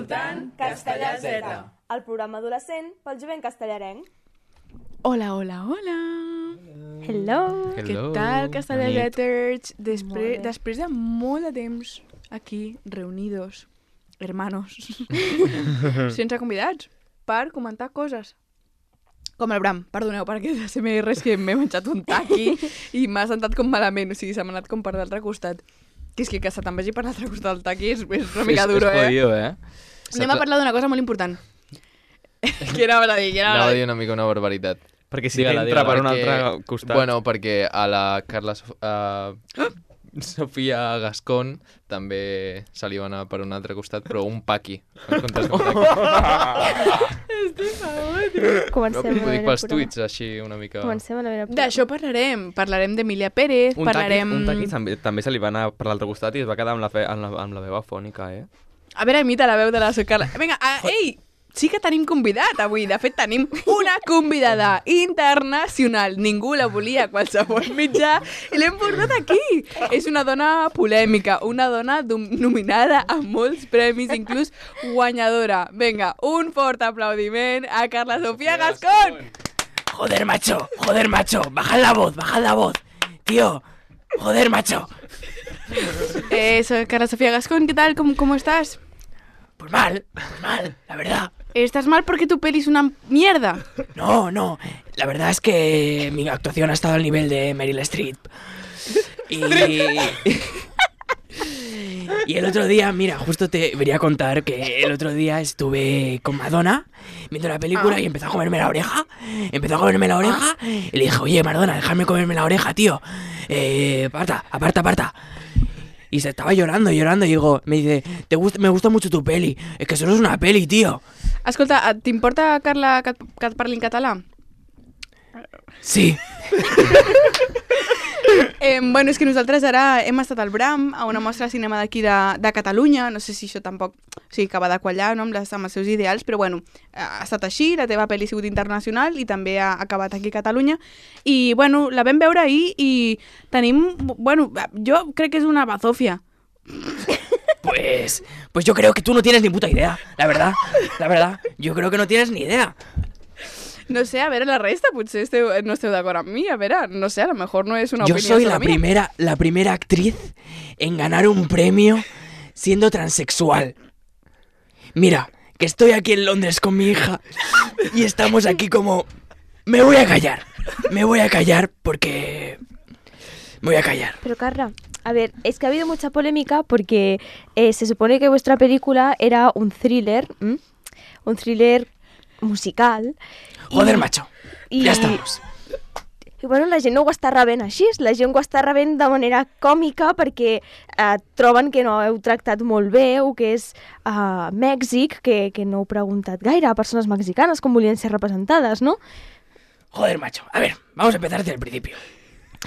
escoltant Castellà Z, el programa adolescent pel jovent castellarenc. Hola, hola, hola. Hello. Què tal, Castellà Zeters? Després de molt de temps aquí, reunidos, hermanos, sense convidats, per comentar coses. Com el Bram, perdoneu, perquè se m'he res que m'he menjat un taqui i m'ha sentat com malament, o sigui, se m'ha anat com per l'altre costat. Que és que se te'n vagi per l'altre costat del taqui és una mica duro, És jodido, Anem a parlar d'una cosa molt important. Què anaves a dir? Anava a dir una mica una barbaritat. Perquè si entra per un altre costat... Bueno, perquè a la Carla Sofia Gascón també se li va anar per un altre costat, però un paqui. En comptes d'un taqui. Comencem No, ho dic pels tuits, així una mica... Comencem a veure... D'això parlarem. Parlarem d'Emília Pérez, parlarem... Un taqui també se li va anar per l'altre costat i es va quedar amb la veu afònica, A veure, imita la veu de la Carla. Vinga, ei! Sí que tenim convidat avui. De fet, tenim una convidada internacional. Ningú la volia a qualsevol mitjà i l'hem portat aquí. És una dona polèmica, una dona nominada a molts premis, inclús guanyadora. Vinga, un fort aplaudiment a Carla Sofia Gascón. Joder, macho, bajad la voz, tío, joder, macho. Soy Carla Sofía Gascón, ¿qué tal? ¿Cómo estás? Pues mal, la verdad. ¿Estás mal porque tu peli es una mierda? No, la verdad es que mi actuación ha estado al nivel de Meryl Streep. Y el otro día, mira, justo te debería contar que el otro día estuve con Madonna viendo la película y empezó a comerme la oreja. Y le dije, oye, Madonna, déjame comerme la oreja, tío. Aparta. Y se estaba llorando y digo, me dice, me gusta mucho tu peli. Es que solo es una peli, tío. Escolta, t'importa, Carla, que et parli en català? Sí. Bueno, és que nosaltres ara hem estat al Bram, a una mostra de cinema d'aquí de Catalunya. No sé si això tampoc acaba de quallar, no, amb els seus ideals, però bueno, ha estat així, la teva pel·li ha sigut internacional i també ha acabat aquí a Catalunya. I bueno, la vam veure ahir i tenim, bueno, jo crec que és una bazofia. Pues yo creo que tú no tienes ni puta idea, la verdad. Yo creo que no tienes ni idea. No sé, a veure, la resta potser no esteu d'acord amb mi, a veure, no sé, a lo mejor no és una Yo opinió soy solo mía. la primera actriz en ganar un premio siendo transexual. Mira, que estoy aquí en Londres con mi hija y estamos aquí como... Me voy a callar porque... Me voy a callar. Pero Carla, a ver, es que ha habido mucha polémica porque se supone que vuestra película era un thriller musical. Joder, macho, ja estamos. I bueno, la gent no ho està rebent així, la gent ho està rebent de manera còmica perquè troben que no heu tractat molt bé o que és Mèxic, que no heu preguntat gaire a persones mexicanes com volien ser representades, no? Joder, macho, a ver, vamos a empezar desde el principio.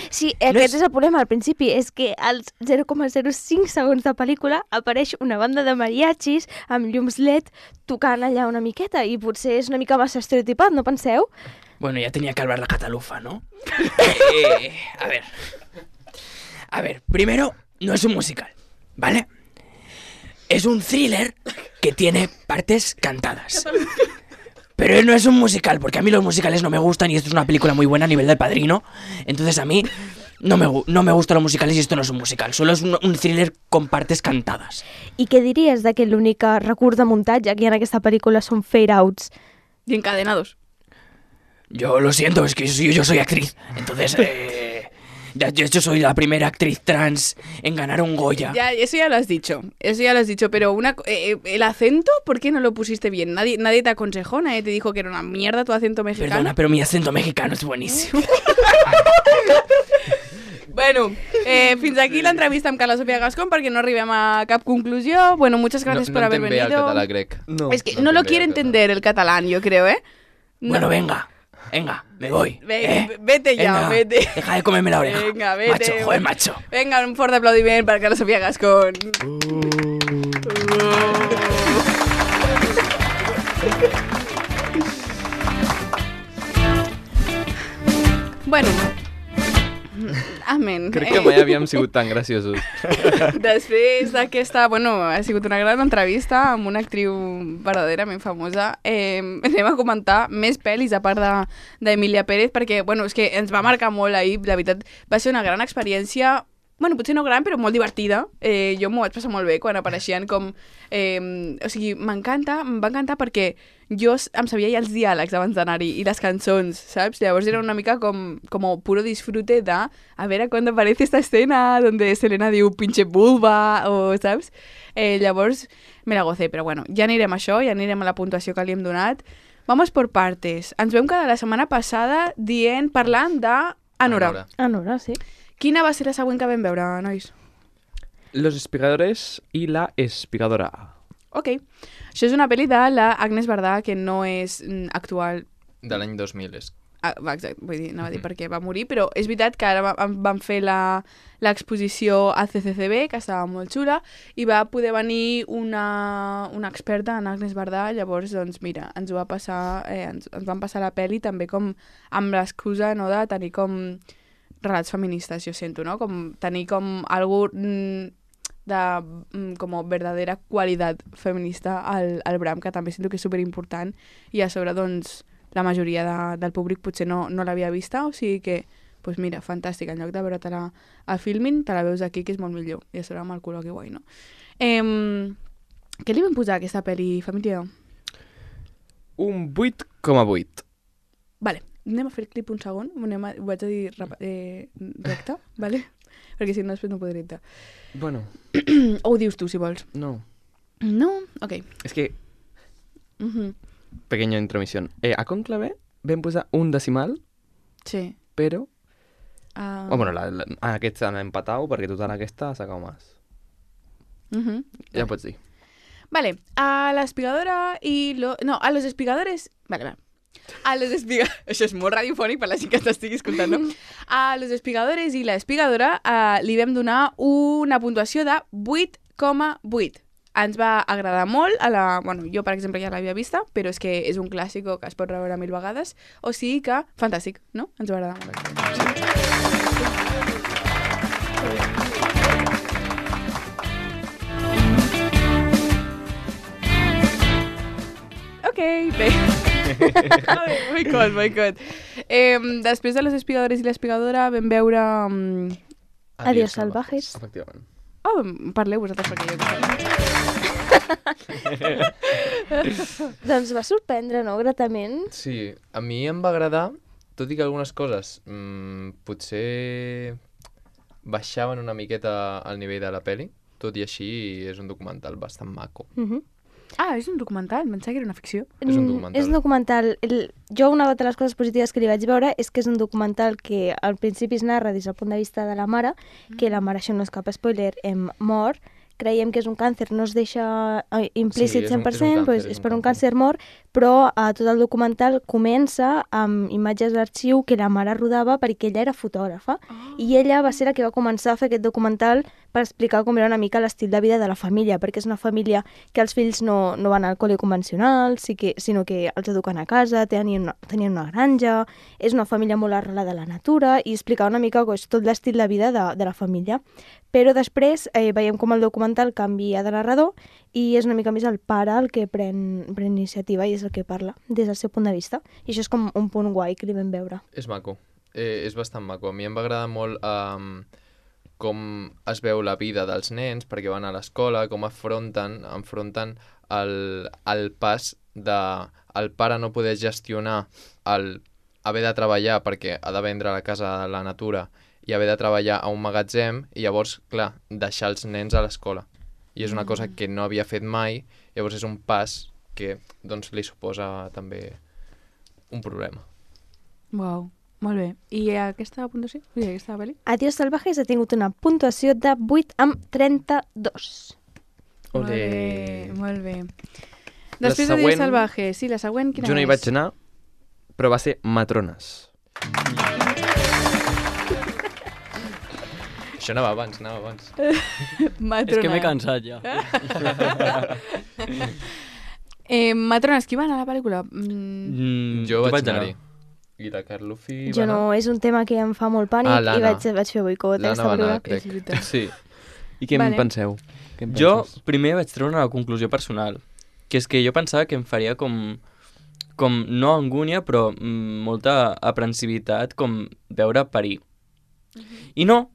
Sí, aquest és el problema al principi, és que als 0,05 segons de pel·lícula apareix una banda de mariachis amb llums LED tocant allà una miqueta i potser és una mica massa estereotipat, no penseu? Bueno, ya tenía que hablar la catalufa, ¿no? A ver, primero, no es un musical, ¿vale? Es un thriller que tiene partes cantadas. Pero no es un musical, porque a mí los musicales no me gustan y esto es una película muy buena a nivel del Padrino. Entonces a mí no me gustan los musicales y esto no es un musical. Solo es un thriller con partes cantadas. I què diries de que l'únic recurs de muntatge que hi ha en aquesta pel·lícula són fade-outs? Y encadenados. Yo lo siento, es que yo soy actriz. Entonces, de hecho soy la primera actriz trans en ganar un Goya. Ya, eso ya lo has dicho, pero el acento, ¿por qué no lo pusiste bien? Nadie te aconsejó, nadie te dijo que era una mierda tu acento mexicano. Perdona, pero mi acento mexicano es buenísimo. Bueno, fins aquí l'entrevista amb Carla Sofia Gascón perquè no arribem a cap conclusió. Bueno, muchas gracias por haber venido. No entén bé el català grec. Es que no lo quiere entender el catalán, yo creo, ¿eh? Bueno, venga, me voy. Vete ya, venga, vete. Deja de comerme la oreja. Venga, vete. Macho, joder, macho. Venga, un fuerte aplaudiment per Carla Sofia Gascón. Bueno, Amén. Crec que mai havíem sigut tan graciosos. Després d'aquesta, ha sigut una gran entrevista amb una actriu verdaderament famosa. Anem a comentar més pel·lis a part d'Emília Pérez, perquè, és que ens va marcar molt ahir, la veritat, va ser una gran experiència. Potser no gran, però molt divertida. Jo m'ho vaig passar molt bé quan apareixien com... o sigui, em va encantar perquè jo em sabia ja els diàlegs abans d'anar-hi i les cançons, saps? Llavors era una mica com puro disfrute de a veure quan aparece esta escena donde Selena diu pinche vulva, o saps? Llavors me la gocé, però ja anirem a això, ja anirem a la puntuació que li hem donat. Vamos por partes. Ens vam quedar la setmana passada parlant d'Anora. Anora, sí. Quina va ser la següent que vam veure, nois? Los espigadores i la espigadora. Ok. Això és una pel·li de la Agnès Bardà, que no és actual. De l'any 2000 és. Exacte, anava a dir perquè va morir, però és veritat que ara van fer l'exposició al CCCB, que estava molt xula, i va poder venir una experta en Agnès Bardà, llavors, doncs, mira, ens ho va passar, ens van passar la pel·li també com amb l'excusa, no?, de tenir com relats feministes, jo sento, no? Com tenir com algú de com verdadera qualitat feminista al Bram, que també sento que és superimportant, i a sobre, doncs, la majoria del públic potser no l'havia vista, o sigui que, doncs mira, fantàstic, en lloc de veure-te-la a Filmin, te la veus aquí, que és molt millor, i a sobre amb el col·loqui guai, no? Què li vam posar a aquesta pel·li, família? Un 8,8. Vale. Anem a fer clip un segon, ho vaig a dir recte, vale? Perquè si no després no podré dictar. Bueno. O ho dius tu, si vols. No. No? Ok. És que... Pequeña intromisión. A Conclave vam posar un decimal, sí, però... Bueno, aquest han empatat perquè total aquesta s'ha acabado más. Ja pots dir. Vale, a l'espigadora i... No, a los espigadores... Vale. A los espigadores... Això és molt radiofònic per la gent que t'estigui escoltant, no? A los espigadores i l'espigadora li vam donar una puntuació de 8,8. Ens va agradar molt. Jo, per exemple, ja l'havia vista, però és que és un clàssic que es pot reveure 1000 vegades. O sigui que, fantàstic, no? Ens va agradar molt. Ok, bé. Boicot. Després de les espigadores i l'espigadora vam veure... Adiós salvajes. Efectivament. Parleu vosaltres perquè jo... Doncs va sorprendre, no? Gratament. Sí, a mi em va agradar, tot i que algunes coses potser baixaven una miqueta al nivell de la peli, tot i així és un documental bastant maco. És un documental, em pensava que era una ficció. És un documental. És un documental. Jo una de les coses positives que li vaig veure és que és un documental que al principi es narra des del punt de vista de la mare, que la mare, això no és cap spoiler, mor. Creiem que és un càncer, no es deixa implícit 100%, és per un càncer mort, però tot el documental comença amb imatges d'arxiu que la mare rodava perquè ella era fotògrafa, i ella va ser la que va començar a fer aquest documental per explicar com era una mica l'estil de vida de la família, perquè és una família que els fills no van al col·le convencional, sinó que els eduquen a casa, tenien una granja, és una família molt arrelada a la natura, i explicar una mica tot l'estil de vida de la família. Però després veiem com el documental canvia de narrador i és una mica més el pare el que pren iniciativa i és el que parla des del seu punt de vista. I això és com un punt guai que li vam veure. És maco, és bastant maco. A mi em va agradar molt com es veu la vida dels nens perquè van a l'escola, com enfronten el pas de el pare no poder gestionar el haver de treballar perquè ha de vendre la casa a la natura i haver de treballar a un magatzem i llavors, clar, deixar els nens a l'escola. I és una cosa que no havia fet mai, llavors és un pas que doncs, li suposa també un problema. Uau, molt bé. I aquesta puntuació? Aquesta pel·li? Adiós salvajes ha tingut una puntuació de 8,32. Molt bé. Després d'Adiós salvajes, sí, la següent quina és? Jo no hi vaig anar, però va ser Matrones. Això anava abans. Matrona. És que m'he cansat ja. Matrones, qui va anar a la pel·lícula? Jo vaig anar-hi. I la Carlufi Jo no, és un tema que em fa molt pànic i l'Anna. vaig fer boicot. L'Anna va anar, crec. És veritat. Sí. I què Vale. en penseu? Què en Jo penses? primer vaig treure una conclusió personal, que és que jo pensava que em faria com no angúnia, però molta aprensivitat, com veure parir. I no,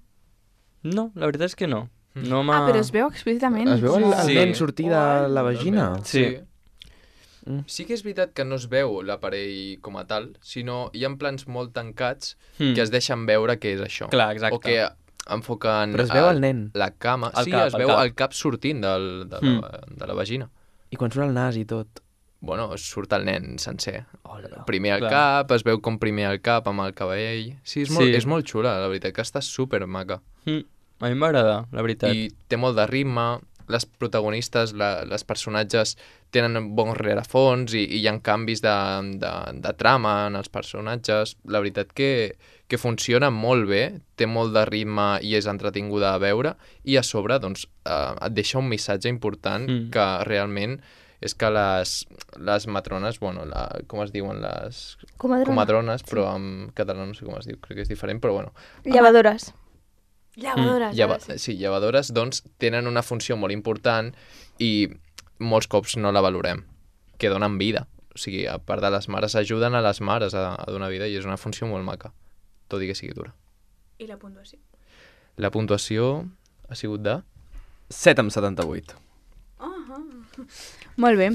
la veritat és que no. No m'ha... Ah, però es veu explícitament. Es veu el Sí. nen sortir de la vagina? Sí. Sí que és veritat que no es veu l'aparell com a tal, sinó hi ha plans molt tancats Mm. que es deixen veure que és això. Clar, exacte. O que enfoquen Però es veu el nen. la cama. El Sí, cap, es el veu cap. el cap sortint de la vagina. I quan surt el nas i tot. Bueno, surt el nen sencer. Hola. Primer el Clar. cap, es veu com primer el cap amb el cabell. Sí, és molt xula, la veritat, que està super maca. A mi m'agrada, la veritat. I té molt de ritme, les protagonistes, les personatges tenen bons rerefons i hi ha canvis de trama en els personatges. La veritat que funciona molt bé, té molt de ritme i és entretinguda a veure, i a sobre doncs, et deixa un missatge important que realment és que les matrones, bueno, com es diuen? Les comadrones, però en català no sé com es diu, crec que és diferent, però bueno. Llevadores. Llevadores. Sí, llevadores, doncs, tenen una funció molt important i molts cops no la valorem, que donen vida. O sigui, a part de les mares, ajuden a les mares a donar vida i és una funció molt maca, tot i que sigui dura. I la puntuació? La puntuació ha sigut de... 7/78. Molt bé.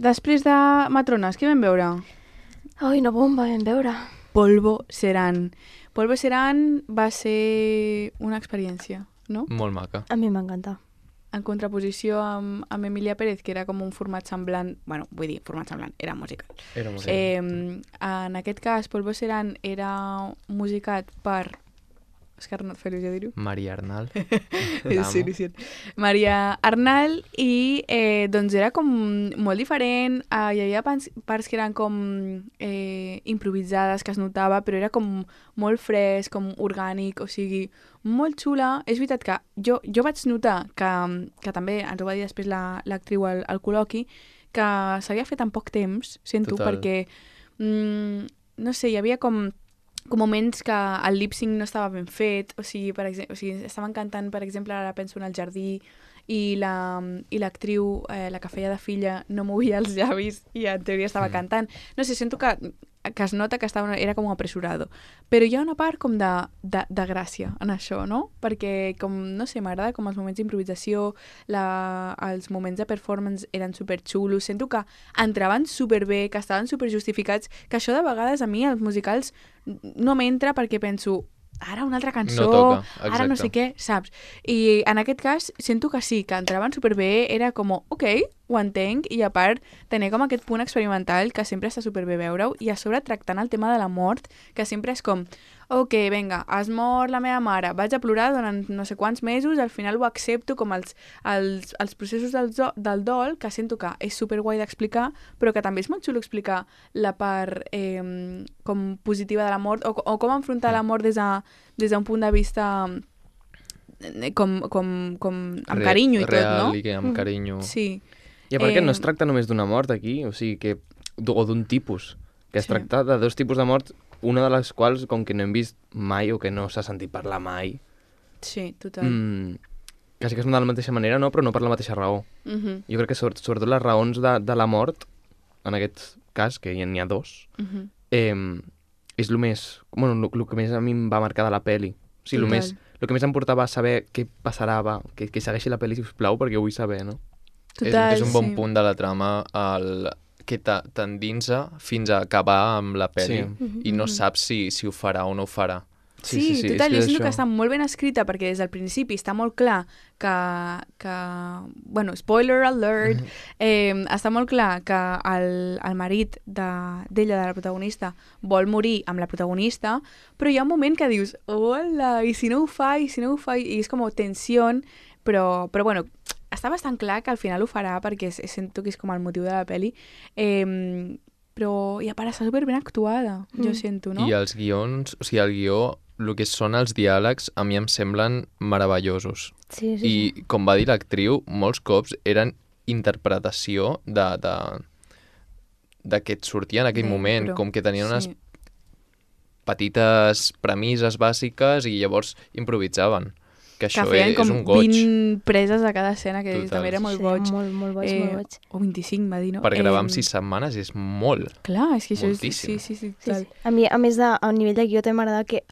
Després de Matrones, què vam veure? Ai, una bomba, vam veure. Polvo Seran. Polvo Seran va ser una experiència, no? Molt maca. A mi m'encanta. En contraposició amb Emilia Pérez, que era com un format semblant... Bueno, vull dir, format semblant, era musical. Era molt En aquest cas, Polvo Seran era musicat per... És que no et fa il·lusió dir-ho. Maria Arnal. Sí, sí. Maria Arnal i doncs era com molt diferent, hi havia parts que eren com improvisades, que es notava, però era com molt fresc, com orgànic, o sigui, molt xula. És veritat que jo vaig notar que també ens ho va dir després l'actriu al col·loqui, que s'havia fet en poc temps, sento, Total. perquè no sé, hi havia com moments que el lip-sync no estava ben fet, o sigui, estaven cantant, per exemple, ara penso en El jardí, i l'actriu, la que feia de filla, no movia els llavis i en teoria estava cantant. No sé, sento que es nota que era com apresurado. Però hi ha una part com de gràcia en això, no? Perquè, com, no sé, m'agrada com els moments d'improvisació, els moments de performance eren superxulos, sento que entraven superbé, que estaven superjustificats, que això de vegades a mi, els musicals, no m'entra perquè penso, ara una altra cançó, No toca, ara no sé exacte. què, saps? I en aquest cas sento que sí, que entraven superbé, era com, ok, ho entenc, i a part tenia com aquest punt experimental que sempre està superbé veure-ho, i a sobre tractant el tema de la mort, que sempre és com, ok, vinga, has mort la meva mare, vaig a plorar durant no sé quants mesos, al final ho accepto, com els processos del dol, que sento que és superguai d'explicar, però que també és molt xulo explicar la part com positiva de la mort, o com enfrontar la mort des d'un punt de vista com amb carinyo i tot, no? Real i que amb carinyo. Sí. I a part que no es tracta només d'una mort aquí, o sigui, o d'un tipus, que es Sí. tracta de dos tipus de mort, una de les quals, com que no hem vist mai o que no s'ha sentit parlar mai, Sí, total. quasi que és de la mateixa manera, no? Però no per la mateixa raó. Mhm, Jo crec que sobretot les raons de la mort, en aquest cas, que n'hi ha dos, mhm. és el més... Bueno, el que més a mi em va marcar de la peli. O sigui, Total. el que més em portava a saber què passarà, que segueixi la peli, sisplau, perquè ho vull saber, no? Total, és un bon sí. punt de la trama que t'endinsa fins a acabar amb la pel·li Sí. i no saps si ho farà o no ho farà. Sí, és total, que jo és sento que això. està molt ben escrita perquè des del principi està molt clar que bueno, spoiler alert, està molt clar que el marit d'ella, de la protagonista, vol morir amb la protagonista, però hi ha un moment que dius, hola, i si no ho fa, i és com tensió, però bueno, està bastant clar que al final ho farà perquè sento que és com el motiu de la peli, però i a part està superben actuada, jo sento, no? I els guions, o sigui, el guió, el que són els diàlegs, a mi em semblen meravellosos. Sí, sí, I, com va dir l'actriu, molts cops eren interpretació que et sortia en aquell moment, Però, com que tenien unes sí. petites premisses bàsiques i llavors improvisaven. Que Que això feien és com un goig. 20 preses a cada escena, que Total. també era molt Sí, boig. molt boig, molt boig. O 25, va dir, no? Per gravar en 6 setmanes és molt. Clar, és que això Moltíssim. és... Sí, Sí, total. sí. A mi, a més, a nivell de guió, també m'agrada que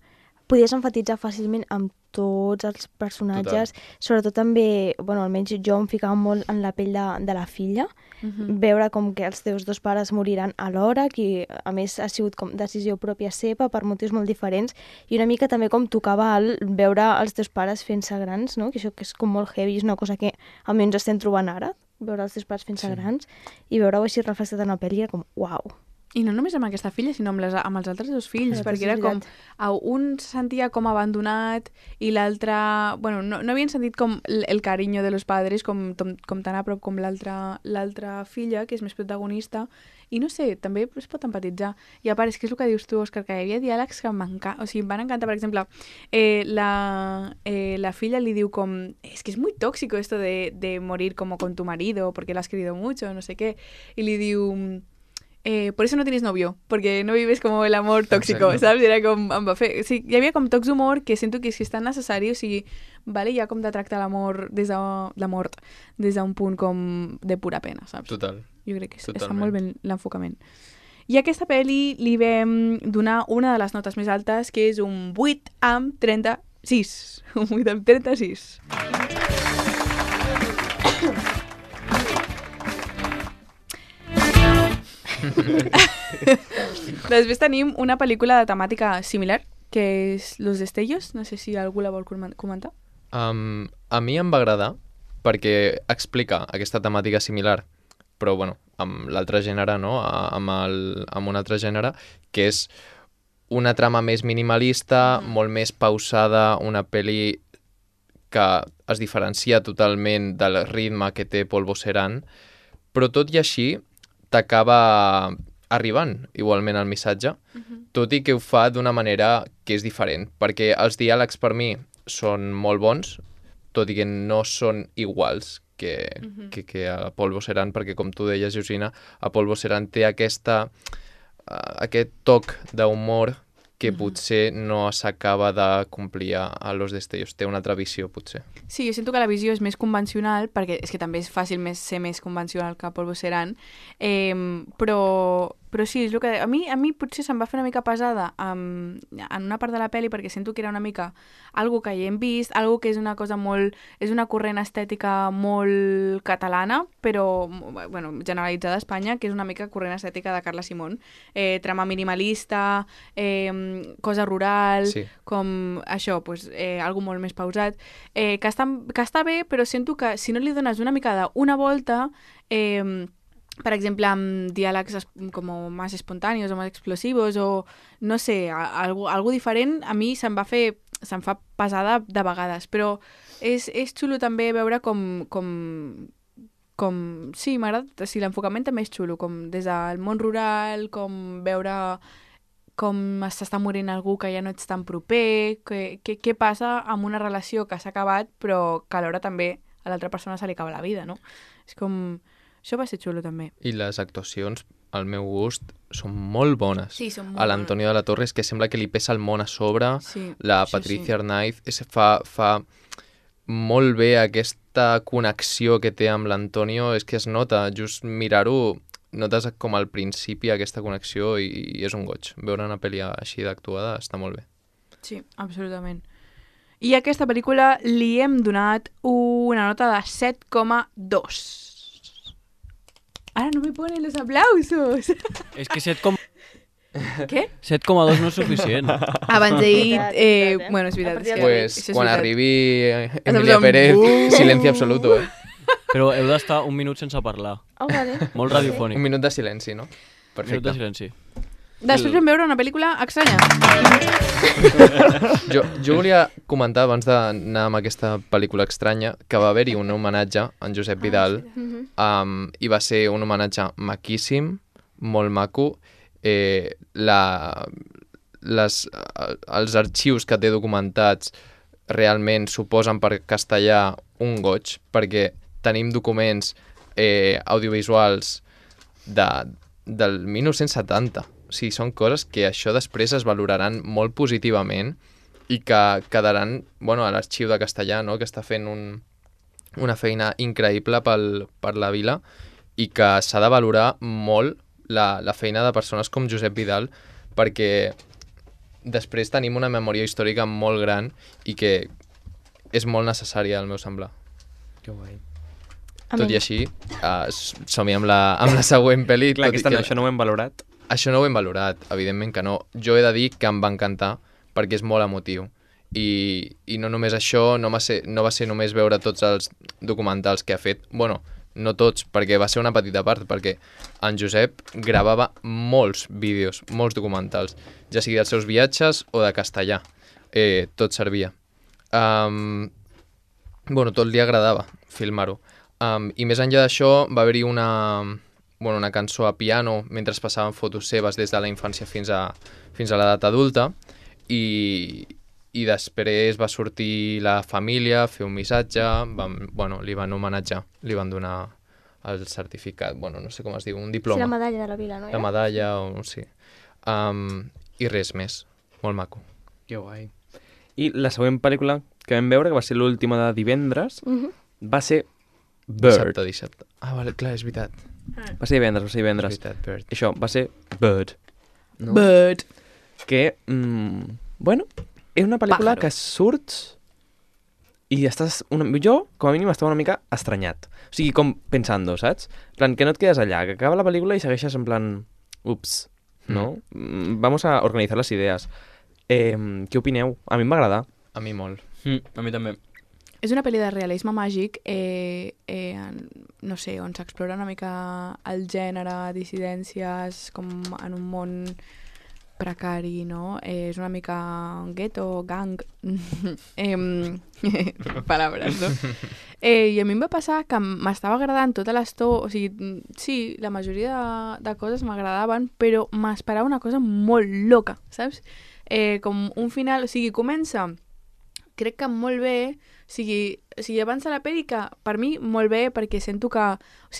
podies enfatitzar fàcilment amb tots els personatges. Sobretot també, bueno, almenys jo em ficava molt en la pell de la filla, veure com que els teus dos pares moriran alhora, que a més ha sigut com decisió pròpia seva per motius molt diferents, i una mica també com tocava veure els teus pares fent-se grans, no? Que això que és com molt heavy, és una cosa que almenys estem trobant ara, veure els teus pares fent-se grans, i veure-ho així reflexat en la pel·li era com, uau. I no només amb aquesta filla, sinó amb els altres dos fills, Clar, perquè és era com... veritat. Un se sentia com abandonat i l'altre... Bueno, no havien sentit com el carinyo de los padres com tan a prop com l'altra filla, que és més protagonista, i no sé, també es pot empatitzar. I a part, és que és el que dius tu, Òscar, que hi havia diàlegs que em van encantar. Per exemple, la filla li diu com... Es que es muy tóxico esto de morir como con tu marido, porque lo has querido mucho, no sé qué. Y le diu... por eso no tienes novio, porque no vives como el amor tóxico, Exacte. saps? Era com... Em va fer... O sigui, hi havia com tocs d'humor que sento que és tan necessari, o sigui, vale, ja com de tractar l'amor des de la mort, des d'un punt com de pura pena, saps? Total. Jo crec que està Totalment. molt ben l'enfocament. I a aquesta pel·li li vam donar una de les notes més altes, que és un 8 amb 36. Un 8 amb 36. Després tenim una pel·lícula de temàtica similar, que és Los Destellos. No sé si algú la vol comentar. A mi em va agradar perquè explica aquesta temàtica similar, però bueno, amb l'altre gènere, no? Amb un altre gènere, que és una trama més minimalista, molt més pausada, una pel·li que es diferencia totalment del ritme que té Polvo Serán, però tot i així t'acaba arribant igualment el missatge, tot i que ho fa d'una manera que és diferent, perquè els diàlegs per mi són molt bons, tot i que no són iguals que a Polvo Serán, perquè com tu deies, Georgina, a Polvo Serán té aquest toc d'humor que potser no s'acaba de complir a Los Destellos. Té una altra visió, potser. Sí, jo sento que la visió és més convencional, perquè és que també és fàcil ser més convencional que Polvo Serán, però sí, és el que... A mi potser se'm va fer una mica pesada en una part de la pel·li, perquè sento que era una mica algo que ja hem vist, algo que és una cosa molt... És una corrent estètica molt catalana, però, bueno, generalitzada a Espanya, que és una mica corrent estètica de Carla Simón. Trama minimalista, cosa rural, Sí. com això, pues, algo molt més pausat, que està bé, però sento que si no li dones una mica d'una volta, per exemple, amb diàlegs com més espontanis o més explosivos o, no sé, algo diferent, a mi se'm fa pesada de vegades, però és xulo també veure com sí, m'agrada, sí, l'enfocament també és xulo, com des del món rural, com veure com s'està morint algú que ja no ets tan proper, què passa amb una relació que s'ha acabat però que alhora també a l'altra persona se li acaba la vida, no? És com... Això va ser xulo també. I les actuacions, al meu gust, són molt bones. Sí, són molt a l'Antonio de la Torre és que sembla que li pesa el món a sobre, Sí, la això Patricia sí. Arnaiz fa molt bé aquesta connexió que té amb l'Antonio, és que es nota, just mirar-ho, notes com al principi aquesta connexió i és un goig. Veure una pel·li així d'actuada està molt bé. Sí, absolutament. I a aquesta pel·lícula li hem donat una nota de 7,2. Ahora no me ponen los aplausos. És que 7,2 Què? no és suficient. Abans he dit... veritat. Bueno, és veritat. A partir és del- que Pues això és quan veritat. arribi Estamos Emilia en Pérez, boom. silenci absoluto, eh? Però heu d'estar un minut sense parlar. Oh, vale. Molt radiofònic. Un minut de silenci, no? Un minut Perfecte. de silenci. Després vam veure una pel·lícula estranya. Jo volia comentar, abans d'anar amb aquesta pel·lícula estranya, que va haver-hi un homenatge a en Josep Vidal, i va ser un homenatge maquíssim, molt maco. Els arxius que té documentats realment suposen per castellà un goig, perquè tenim documents audiovisuals del 1970. O sigui, són coses que això després es valoraran molt positivament i que quedaran, bueno, a l'Arxiu de Castellà, no?, que està fent una feina increïble per la vila i que s'ha de valorar molt la feina de persones com Josep Vidal, perquè després tenim una memòria històrica molt gran i que és molt necessària, al meu semblar. Que guai. Tot i així, som-hi amb la següent pel·li. Clar, això no ho hem valorat. Això no ho hem valorat, evidentment que no. Jo he de dir que em va encantar perquè és molt emotiu. I no només això, no va ser només veure tots els documentals que ha fet. Bueno, no tots, perquè va ser una petita part, perquè en Josep gravava molts vídeos, molts documentals, ja sigui dels seus viatges o de castellà. Tot servia. Bueno, tot li agradava filmar-ho. I més enllà d'això va haver-hi una cançó a piano mentre passaven fotos seves des de la infància fins a l'edat adulta i després va sortir la família a fer un missatge, li van homenatjar, li van donar el certificat, no sé com es diu, un diploma. Sí, la medalla de la vila, no? La medalla, sí. I res més, molt maco. Que guai. I la següent pel·lícula que vam veure, que va ser l'última de divendres, va ser Bird. Dissabte. Vale, clar, és veritat. Va ser divendres. És veritat, Bird. Això, va ser Bird. No? Bird. Que, és una pel·lícula que surts i estàs... Jo, com a mínim, estava una mica estranyat. O sigui, com pensando, saps? En plan, que no et quedes allà, que acaba la pel·lícula i segueixes en plan... Ups, ¿no? Vamos a organizar las ideas. Què opineu? A mi em va agradar. A mi molt. A mi també. És una pel·li de realisme màgic, no sé, on s'explora una mica el gènere, dissidències, com en un món precari, no? És una mica gueto, gang, paraules, no? I a mi em va passar que m'estava agradant tota l'estona, o sigui, sí, la majoria de coses m'agradaven, però m'esperava una cosa molt loca, saps? Com un final, o sigui, comença, crec que molt bé, o sigui, abans de la pel·li que per mi molt bé perquè sento que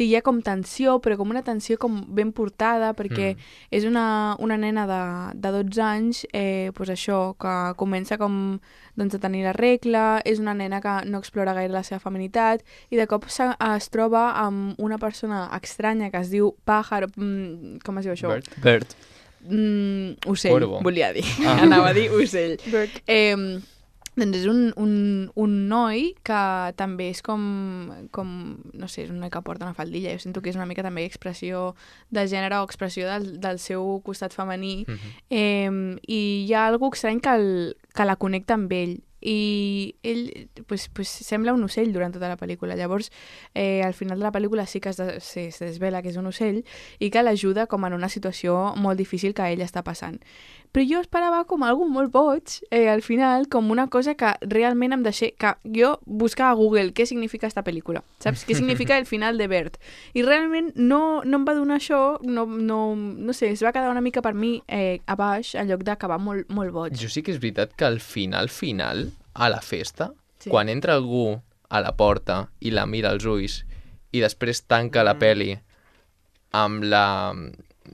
hi ha com tensió, però com una tensió com ben portada, perquè és una nena de 12 anys, doncs això, que comença com a tenir la regla, és una nena que no explora gaire la seva feminitat i de cop es troba amb una persona estranya que es diu Pájaro, com es diu això? Bird. Ocell, Corvo. volia dir. Anava a dir ocell. Bird. Doncs és un noi que també és com, no sé, és un noi que porta una faldilla. Jo sento que és una mica també expressió de gènere o expressió del seu costat femení. I hi ha alguna cosa estrany que la connecta amb ell. I ell pues, sembla un ocell durant tota la pel·lícula. Llavors, al final de la pel·lícula sí que es desvela que és un ocell i que l'ajuda com en una situació molt difícil que ell està passant. Però jo esperava com algo molt boig, al final, com una cosa que realment em deixé... Que jo buscava a Google què significa esta pel·lícula, saps? Què significa el final de Bird? I realment no em va donar això, no sé, es va quedar una mica per mi a baix, en lloc d'acabar molt, molt boig. Jo sí que és veritat que al final, a la festa, quan entra algú a la porta i la mira als ulls i després tanca la peli amb la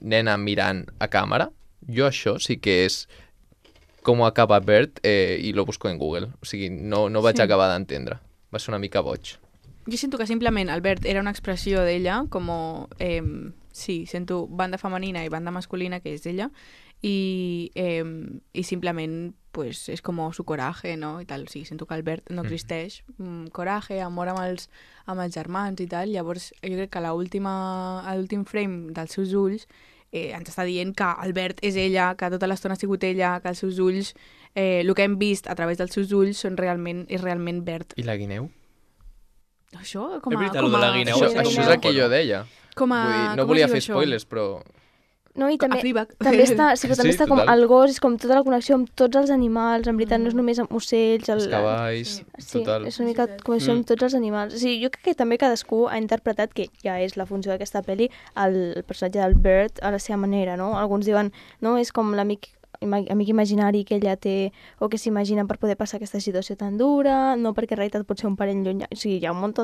nena mirant a càmera, jo això sí que és com acaba Bird i lo busco en Google. O sigui, no vaig acabar d'entendre. Va ser una mica boig. Jo sento que simplement el Bird era una expressió d'ella, com, sí, sento banda femenina i banda masculina, que és d'ella, i simplement pues, és com su coraje, no? I tal. O sigui, sento que el Bird no existeix. Coraje, amor amb els germans i tal. Llavors, jo crec que l'últim frame dels seus ulls ens està dient que el Bird és ella, que tota l'estona ha sigut ella, que els seus ulls, el que hem vist a través dels seus ulls és realment Bird. I la guineu? Això, És veritat, lo de la guineu. Això és el que jo deia. Vull dir, no volia fer spoilers, però... No, i també està, està com el gos, és com tota la connexió amb tots els animals, en veritat no és només amb ocells... Els cavalls, total. Sí, és una mica connexió amb tots els animals. O sigui, jo crec que també cadascú ha interpretat, que ja és la funció d'aquesta pel·li, el personatge del Bird a la seva manera, no? Alguns diuen, no, és com l'amic imaginari que ella té o que s'imagina per poder passar aquesta situació tan dura, no perquè en realitat pot ser un parell llunyà. O sigui, hi ha un munt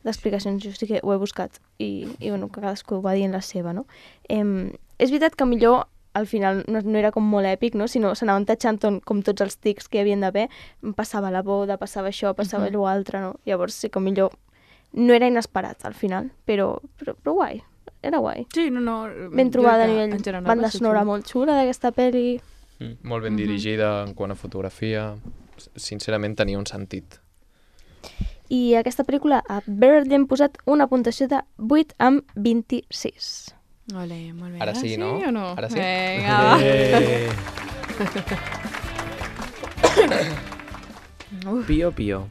d'explicacions, jo sí que ho he buscat i bueno, que cadascú va dient la seva, no? És veritat que millor al final no era com molt èpic, no? Sinó s'anaven tatxant com tots els tics que hi havien d'haver, passava la boda, passava això, passava l'altre, no? Llavors sí que millor no era inesperat al final, però guai, era guai. Sí, no. Ben trobada a jo crec que, nivell en general, banda va ser sonora xulo. molt xula d'aquesta pel·li. Molt ben dirigida en quant a fotografia. Sincerament tenia un sentit. I aquesta pel·lícula a Bird li hem posat una puntuació de 8/26. Ole, molt bé. Ara sí, no? o no? Ara sí? Vinga, va. Pio, pio.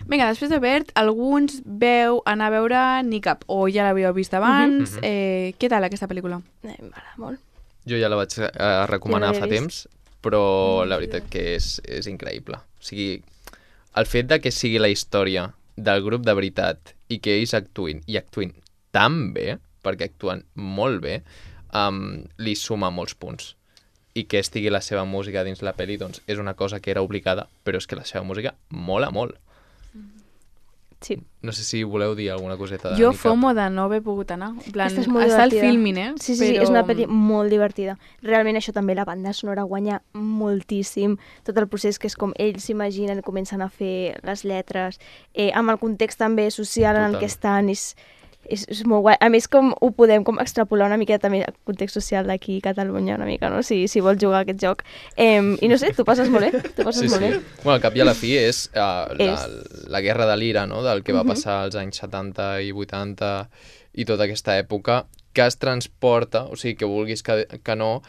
Vinga, després de Bert, alguns veu anar a veure Nick Up, o ja l'havíeu vist abans. Què tal aquesta pel·lícula? M'agrada molt. Jo ja la vaig recomanar Jo no l'he fa vist. temps, però la veritat que és increïble. O sigui, el fet de que sigui la història del grup de veritat i que ells actuïn tan bé, perquè actuen molt bé, li suma molts punts. I que estigui la seva música dins la pel·li, doncs és una cosa que era obligada, però és que la seva música mola molt. Sí. No sé si voleu dir alguna coseta de Jo Nick Up. FOMO de no haver pogut anar. En plan, Aquesta és molt està el divertida. filming, Sí, és una pel·li molt divertida. Realment això també, la banda sonora guanya moltíssim. Tot el procés que és com ells s'imaginen, comencen a fer les lletres, amb el context també social en el Total. que estan, és molt guai. A més, com ho podem com extrapolar una mica també al context social d'aquí a Catalunya, una mica, no? Si vols jugar a aquest joc. I no sé, tu passes molt bé. Tu passes molt bé. Bueno, al cap i a la fi és la guerra de l'ira, no?, del que va passar als anys 70 i 80 i tota aquesta època, que es transporta, o sigui, que vulguis que no,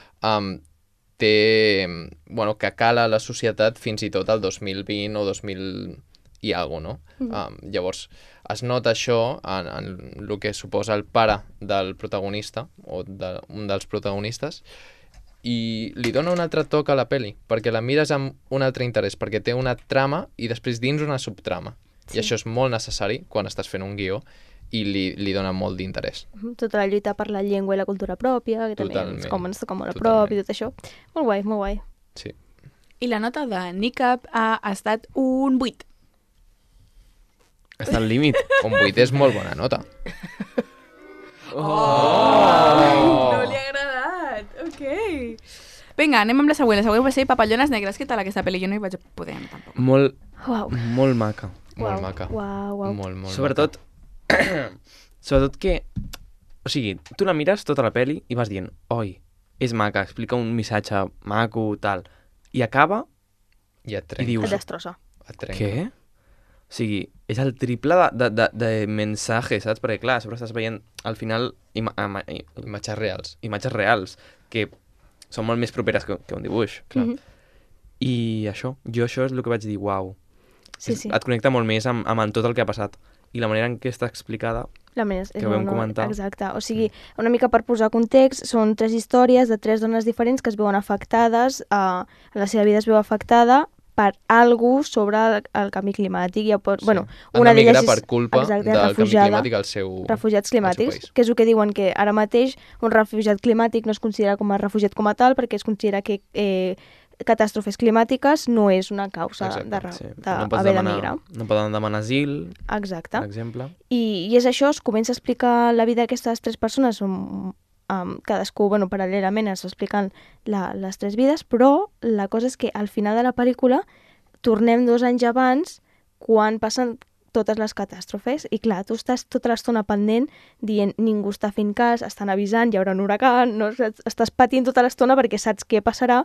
bueno, que cala la societat fins i tot al 2020 o 2000 i alguna cosa, no? Llavors, es nota això en el que suposa el pare del protagonista, o un dels protagonistes, i li dona un altre toc a la peli, perquè la mires amb un altre interès, perquè té una trama i després dins una subtrama. I això és molt necessari quan estàs fent un guió i li dona molt d'interès. Tota la lluita per la llengua i la cultura pròpia, que també Totalment. com ens toca molt a prop i tot això. Molt guai, molt guai. Sí. I la nota de Nick Up ha estat un 8. Està al límit. Un 8 és molt bona nota. No li ha agradat. Ok. Vinga, anem amb la següent. La següent va ser Papallones Negres. Què tal aquesta pel·li? Jo no hi vaig poder anar tampoc. Molt, Uau. molt maca. Molt maca. Uau, uau. Molt Sobretot, sobretot que... O sigui, tu la mires tota la peli i vas dient, oi, és maca, explica un missatge maco, tal. I acaba I et i trenca. dius, Et destrossa. Et trenca. què? O sigui, és el triple de mensatge, saps? Perquè, clar, a sobre estàs veient, al final, Imatges reals. imatges reals, que són molt més properes que un dibuix, clar. I això és el que vaig dir, uau. Sí, sí. Et connecta molt més amb tot el que ha passat. I la manera en què està explicada... La més, que vam comentar. Exacte. O sigui, una mica per posar context, són 3 històries de 3 dones diferents que es veuen afectades, la seva vida es veu afectada per algú sobre el canvi climàtic. Ja pot, bueno, Han una d'emigrar d'elles és, per culpa exacte, del canvi refugiada. climàtic al seu Refugiats climàtics, país. que és el que diuen que ara mateix un refugiat climàtic no es considera com a refugiat com a tal perquè es considera que catàstrofes climàtiques no és una causa Exacte, d'haver d'emigrar. No poden demanar asil, Exacte. per exemple. I és això, es comença a explicar la vida d'aquestes 3 persones, cadascú, bueno, paral·lelament es expliquen les 3 vides, però la cosa és que al final de la pel·lícula tornem 2 anys abans, quan passen totes les catàstrofes, i clar, tu estàs tota l'estona pendent dient ningú està fent cas, estan avisant, hi haurà un huracan, no? Estàs patint tota l'estona perquè saps què passarà,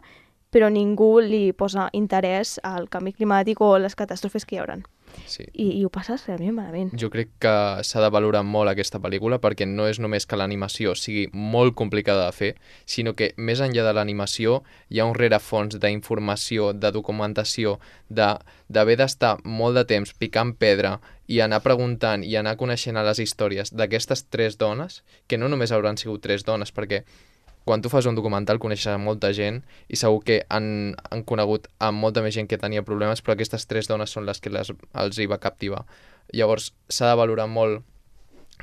però ningú li posa interès al canvi climàtic o les catàstrofes que hi hauran. Sí. I ho passes realment malament. Jo crec que s'ha de valorar molt aquesta pel·lícula perquè no és només que l'animació sigui molt complicada de fer, sinó que més enllà de l'animació hi ha un rerefons d'informació, de documentació, d'haver d'estar molt de temps picant pedra i anar preguntant i anar coneixent a les històries d'aquestes 3 dones, que no només hauran sigut 3 dones, perquè quan tu fas un documental coneixes a molta gent i segur que han conegut a molta més gent que tenia problemes, però aquestes 3 dones són les que els hi va captivar. Llavors s'ha de valorar molt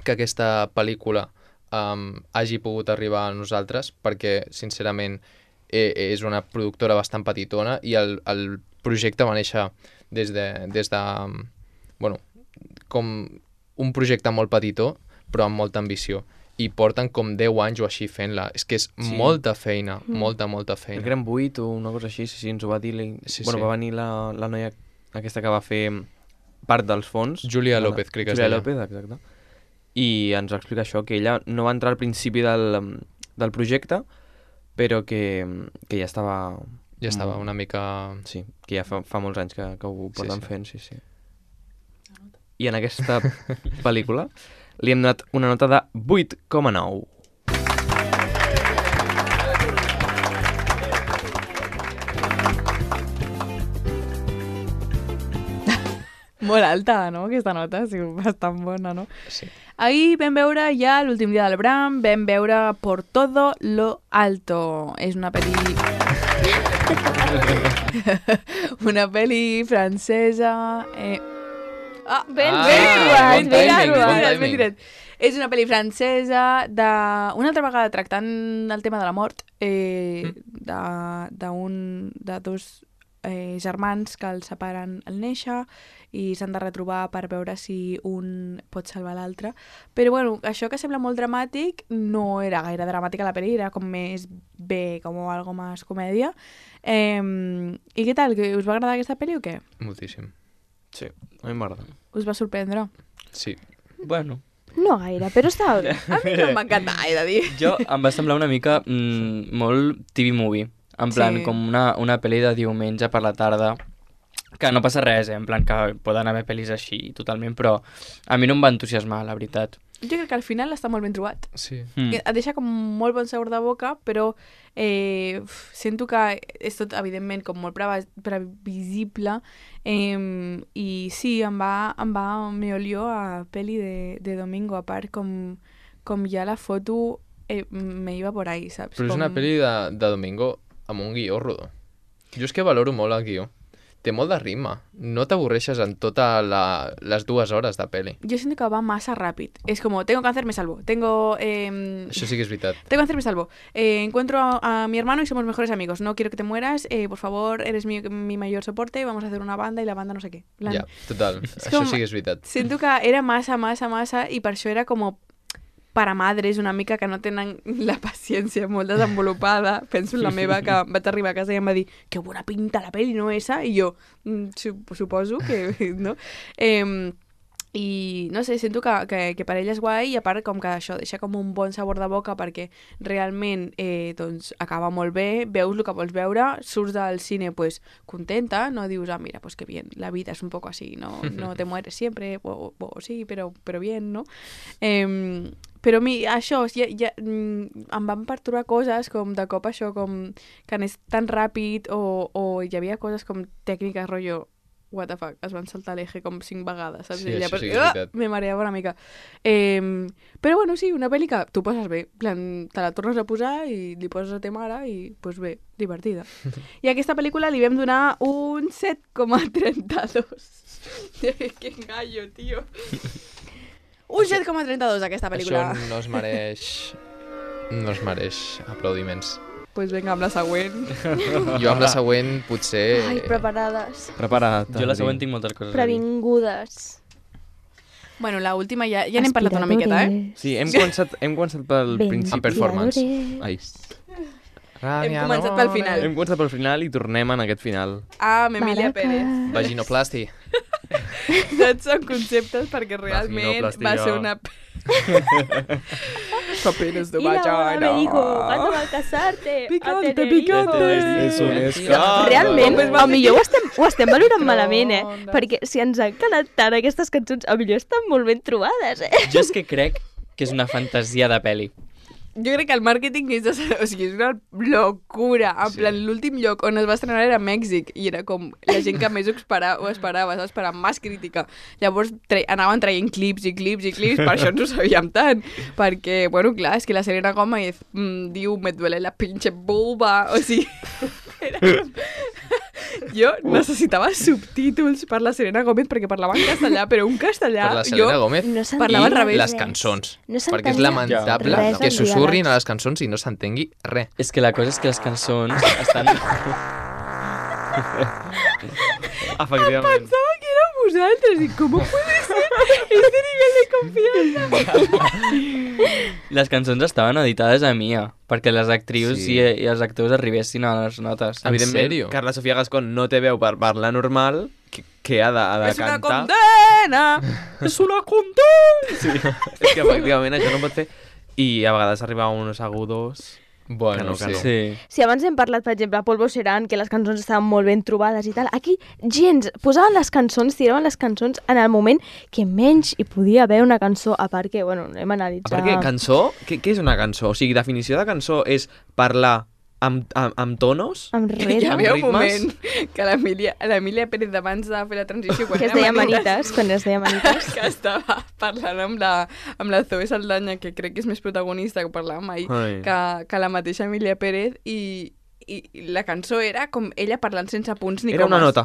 que aquesta pel·lícula hagi pogut arribar a nosaltres perquè, sincerament, és una productora bastant petitona i el projecte va néixer des de bueno, com un projecte molt petitó, però amb molta ambició. I porten com 10 anys o així fent-la. És que és molta feina, molta feina. Crec que eren 8 o una cosa així, sí, ens ho va dir... Va venir la noia aquesta que va fer part dels fons. Júlia López, crec que es deia. deia. Júlia López, exacte. I ens va explicar això, que ella no va entrar al principi del projecte, però que ja estava... Ja estava una mica... Sí, que ja fa molts anys que ho porten fent, sí. I en aquesta pel·lícula li hem donat una nota de 8,9. Molt alta, no?, aquesta nota, sí, bastant bona, no? Sí. Ahir vam veure ja l'últim dia del Bram, vam veure Por todo lo alto. És una pel·li... una pel·li francesa... Ben tirat. És una pel·li francesa una altra vegada tractant el tema de la mort, de dos germans que els separen al néixer i s'han de retrobar per veure si un pot salvar l'altre. Però bueno, això que sembla molt dramàtic no era gaire dramàtic a la pel·li, era com més bé, com algo més comèdia. I què tal? Us va agradar aquesta pel·li o què? Moltíssim. Sí, a mi m'agrada. Us va sorprendre? Sí. Bueno. No gaire, però estava bé. A mi no m'encanta, he de dir. Jo em va semblar una mica molt TV movie. En plan, Sí. com una pel·li de diumenge per la tarda, que no passa res, en plan que poden haver pel·lis així totalment, però a mi no em va entusiasmar, la veritat. Jo crec que al final està molt ben trobat. Sí. Et deixa com molt bon sabor de boca, però sento que és tot, evidentment, com molt previsible, i sí, me olió a pel·li de domingo, a part com ja la foto me iba por ahí, saps? Però és una pel·li de domingo amb un guió rodó. Jo és que valoro molt el guió. Té molt de ritme. No t'avorreixes en totes les 2 hores de pel·li. Yo siento que va más rápido. Es como, tengo cáncer, me salvo. Tengo... Això sí que és veritat. Tengo cáncer, me salvo. Encuentro a mi hermano y somos mejores amigos. No quiero que te mueras. Por favor, eres mi mayor soporte. Vamos a hacer una banda y la banda no sé què. Ja, total. Això sí que és veritat. Siento que era massa i per això era com para madres una mica que no tenen la paciència molt desenvolupada. Penso en la meva, que vaig arribar a casa i em va dir que bona pinta la pel·li, no esa? I jo, suposo que no. I no sé, sento que per ella és guai, i a part com que això deixa com un bon sabor de boca perquè realment doncs acaba molt bé, veus el que vols veure, surts del cine pues contenta, no dius, mira, pues que bien, la vida es un poco así, no te mueres siempre, o sí, però bien, no? Però a mi això ja em van perturbar coses com de cop això, com que anés tan ràpid o hi havia coses com tècniques, rotllo what the fuck, es van saltar l'eje com 5 vegades, saps? Sí, això sí que és veritat. Me mareava una mica. Però bueno, sí, una pel·li que tu passes bé, plan, te la tornes a posar i li poses a ta mare i, pues bé, divertida. I a aquesta pel·lícula li vam donar un 7,32. Que gallo, tio. Un 7,32 aquesta pel·lícula. Això no es mereix aplaudiments. Pues vinga, amb la següent. Jo amb la següent potser... Ai, preparades. Prepara't. Jo la següent tinc moltes coses a dir. Previngudes. Bueno, la última ja n'hem parlat una miqueta, Sí, hem començat pel principi. En performance. Ai. Hem començat pel final. Hem començat pel final i tornem en aquest final. Amb Emilia Pérez. Vaginoplasti. Tots són conceptes perquè realment va ser una... Papeles de Y la boda vagina. me dijo, ¿cuándo vas a casarte? Picante, A Tenerife. picante. És un escàndol. Realment, Com es va a millor ho estem valorant Microondes. malament, perquè si ens han quedat tant aquestes cançons, a millor estan molt ben trobades, Jo és que crec que és una fantasia de pel·li. Jo crec que el màrqueting és, o sigui, és una locura. En plan, l'últim lloc on es va estrenar era Mèxic i era com la gent que més ho esperava, saps? Per més crítica. Llavors anaven traient clips i clips i clips, per això ens ho sabíem tant. Perquè, bueno, clar, és que la Selena Gomez diu, me duele la pinche vulva, o sigui... Era com... Jo necessitava subtítols per la Selena Gomez perquè parlava en castellà, però un castellà... Per la Selena Gomez no parlava al i revés. les cançons. No perquè és s'entenia lamentable res que dels susurrin diàlegs. a les cançons i no s'entengui res. És que la cosa és que les cançons estan... Efectivament. Pensava que era vosaltres. I com puede ser este nivell de confiança? Les cançons estaven editades a Mia, perquè les actrius Sí. i els actors arribessin a les notes. En Evidentment, sèrio? Carla Sofia Gascón no té veu per parlar normal, que ha de És una cantar. condena! És una condena! Sí. És que efectivament això no pot fer. I a vegades arriba a uns agudos... Bueno, Que no. Sí. Si abans hem parlat, per exemple, Polvo Serán, que les cançons estaven molt ben trobades i tal, aquí gens posaven les cançons, tiraven les cançons en el moment que menys hi podia haver una cançó, a part que, bueno, hem analitzat... A part que cançó, què és una cançó? O sigui, definició de cançó és parlar amb tonos, Amb Hi ritme, havia un ritmes. moment que l'Emília Pérez abans de fer la transició, quan que es era deia Manitas, Manites, quan es deia Manites. que estava parlant amb la Zoe Saldana, que crec que és més protagonista, que parlàvem ahir, Ai. que la mateixa Emília Pérez, i la cançó era com ella parlant sense punts ni Era una comes.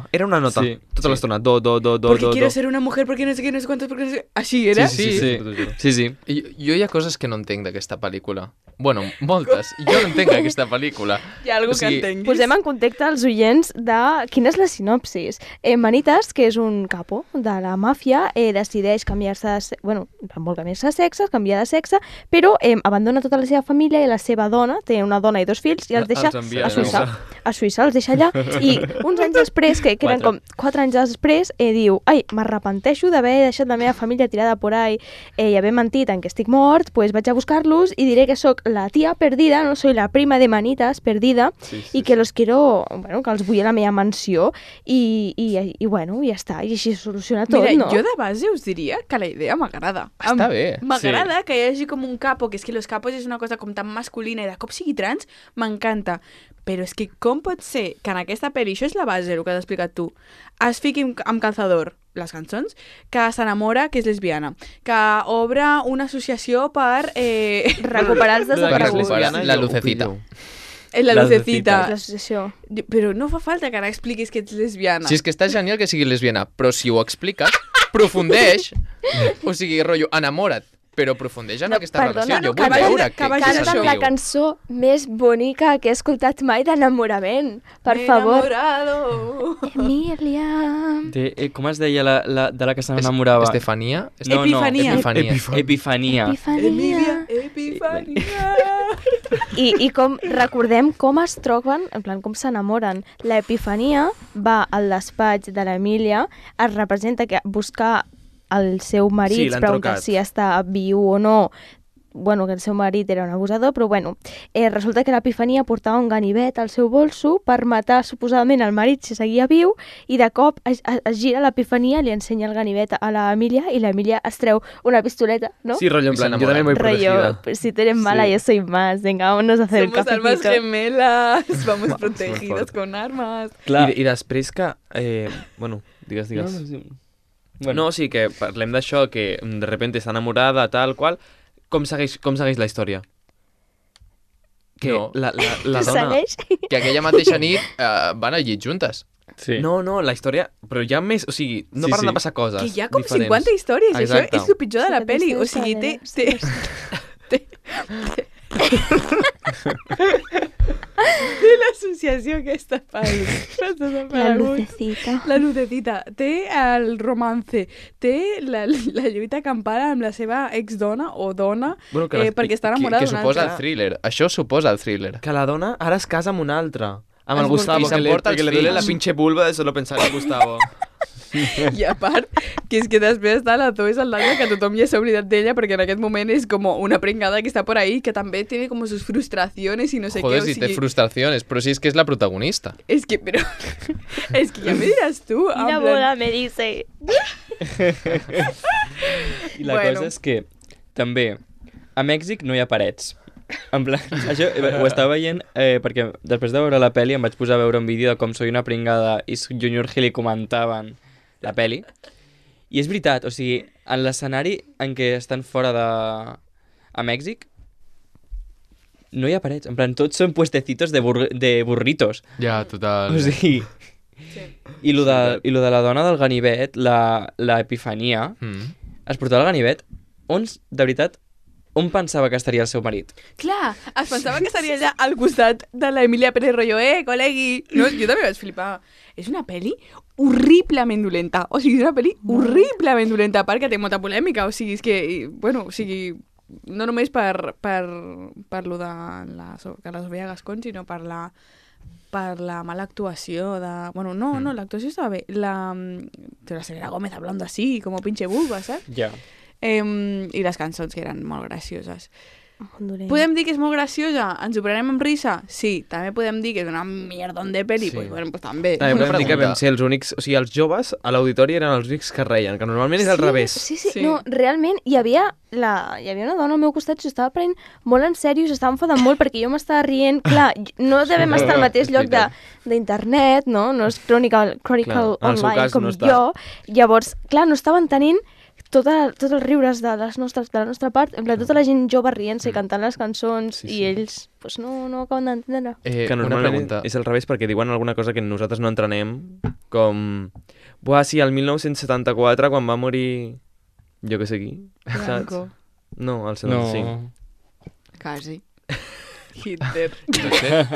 nota, Sí, tota sí. l'estona, do, Porque quiero do. ser una mujer, porque no sé qué, no sé cuántos, porque no sé... Així era? Sí, sí, t'ho juro. sí, sí. Jo hi ha coses que no entenc d'aquesta pel·lícula. Bueno, moltes. Jo no entenc aquesta pel·lícula. Hi ha algú O sigui, que entenguis? Posem en contacte als oients de quina és la sinopsis. Manitas, que és un capo de la màfia, decideix canviar-se de bueno, vol canviar-se de sexe, canviar de sexe, però abandona tota la seva família i la seva dona, té una dona i 2 fills, i els deixa Els envia a Suïssa. A Suïssa, els deixa allà, i uns anys després, que eren com 4 anys després, diu, ai, m'arrepenteixo d'haver deixat la meva família tirada por ahí i haver mentit en que estic mort, pues vaig a buscar-los i diré que sóc la tia perdida, no soy la prima de Manitas perdida, i que los quiero, bueno, que els vull a la meva mansió i bueno, ja està, i així es soluciona tot, Mira, no? jo de base us diria que la idea m'agrada. Està bé. M'agrada que hi hagi com un capo, que és que los capos és una cosa com tan masculina i de cop sigui trans, m'encanta. Però és que com pot ser que en aquesta pel·li, això és la base, el que has explicat tu, es fiqui amb calzador les cançons, que s'enamora, que és lesbiana, que obre una associació per Recuperar els Per desapareguts. recuperar la lucecita. la La lucecita. L'associació. Però no fa falta que ara expliquis que ets lesbiana. Si és que està genial que sigui lesbiana, però si ho expliques, aprofundeix, o sigui, rotllo, enamora't, però aprofundeix en aquesta relació. Jo vull vagi veure de- que vagi què d'això. Canten la s'escriu. cançó més bonica que he escoltat mai d'enamorament. Per favor. Enamorado. Emilia. Com es deia de la que s'enamorava? Estefania? No, Epifania. Epifania. Emilia, Epifania. Epifania. I com recordem com es troben, en plan, com s'enamoren. L'Epifania va al despatx de l'Emília, es representa que buscar el seu marit, Sí, l'han pregunta trucat. si està viu o no, bueno, que el seu marit era un abusador, però bueno, resulta que l'Epifania portava un ganivet al seu bolso per matar suposadament el marit si seguia viu, i de cop es gira l'Epifania, li ensenya el ganivet a l'Emília i l'Emília es treu una pistoleta, ¿no? Sí, rollo, en I plan, yo s'enamora. también voy protegida. Rollo, pues, si tú eres mala, yo soy más. Venga, vámonos a hacer el Somos almas cafecito. gemelas, vamos Buah, protegidos superfort. con armas. Clar. I després que... bueno, digues. No, sí. Bueno, No, sí, que parlem d'això, que de repente està enamorada, tal qual. Com segueix la història? Que No. la dona... Segueix? Que aquella mateixa nit van al llit juntes. sí. No, la història... Però hi ha més... O sigui, no Sí, paren sí. de passar coses Que hi ha com diferents. 50 històries, Exacte. això és el pitjor de la Sí, pel·li. sí, O sí, sigui, sí, té l'associació aquesta La lucecita. La lucecita. Té el romance. Té la lluita campana amb la seva exdona o dona Bueno, que perquè està enamorada Que d'una suposa altra. el thriller. Això suposa el thriller. Que la dona ara es casa amb un altre. Amb el Es Gustavo, i que s'emporta els le duele la fills. pinche vulva de solo pensar en el Gustavo. I a part, que és que després està la Zoe Saldana, que tothom ja s'ha oblidat d'ella, perquè en aquest moment és com una pringada que està por ahí, que també tiene como sus frustraciones y no sé Joder, qué. si té frustraciones, però si és que és la protagonista. Es que, pero... es que ya me dirás tú. Y en la plan- boda me dice... I la Bueno. cosa és que també a Mèxic no hi ha parets. En plan, això ho estava veient perquè després de veure la peli em vaig posar a veure un vídeo de com Soy una pringada i Junior Gil comentaven la peli. I és veritat, o sigui, en l'escenari en què estan fora a Mèxic no hi ha parets, en plan, tots són puestecitos de burritos. Ja, total. O sigui... I lo de la dona del ganivet, la Epifania, Mm. es portava el ganivet on, de veritat, on pensava que estaria el seu marit? Clar, es pensava que estaria allà al costat de l'Emilia Pérez Royo, col·legui. No, jo també vaig flipar. És una pel·li horriblement dolenta. O sigui, és una pel·li horriblement dolenta, perquè té molta polèmica. O sigui, és que, bueno, o sigui, no només per lo de la Sofía Gascón, sinó per la mala actuació de... Bueno, no, l'actuació estava bé. La Selena Gómez hablando así, como pinche vulva, saps? Ja. I les cançons que eren molt gracioses. Podem dir que és molt graciosa? Ens ho prenem amb risa? Sí. També podem dir que és una mierdon de pel·li? Sí. Pues, bueno, pues també. També podem dir que pregunta. vam ser els únics... O sigui, els joves a l'auditori eren els únics que reien, que normalment és al revés. Sí. Sí. No, realment hi havia una dona al meu costat que s'estava prenent molt en sèrio, s'estava enfadant molt perquè jo m'estava rient. Clar, no devem estar al mateix lloc d'internet, no? No és Chronicle Clar, en el seu online cas com no està. jo. Llavors, clar, no estaven tenint tots els riures de la nostra part, en plan, tota la gent jove rient-se i cantant les cançons, Sí, i sí. ells pues, no acaben d'entendre. Que una normalment pregunta. és al revés perquè diuen alguna cosa que nosaltres no entrenem, com... Buah, sí, el 1974, quan va morir... Jo què sé qui, saps? Franco. No, el 75. No. Quasi. Hitler. No sé.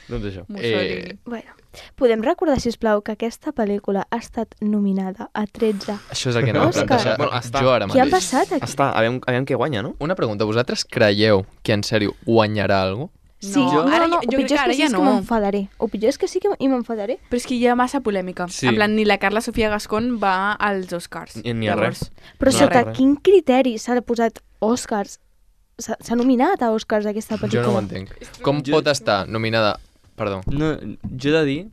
Doncs això. Mussolini. Bueno, podem recordar, sisplau, que aquesta pel·lícula ha estat nominada a 13. Això és el que anava a Òscar. plantejar. Bueno, està. Jo ara Què ha mateix. passat aquí? Està, aviam què guanya, no? Una pregunta, vosaltres creieu que en sèrio guanyarà alguna cosa? Sí, No, ara no, jo ho crec pitjor que és ara que sí ja és que no. m'enfadaré. O pitjor és que sí que m'enfadaré. Però és que hi ha massa polèmica. Sí. En plan, ni la Carla Sofia Gascón va als Oscars. Ni a res. Però No, sota res. quin criteri s'ha posat Oscars? S'ha nominat a Oscars aquesta Jo pel·lícula? no ho entenc. Com pot estar nominada... Perdó. No, jo he de dir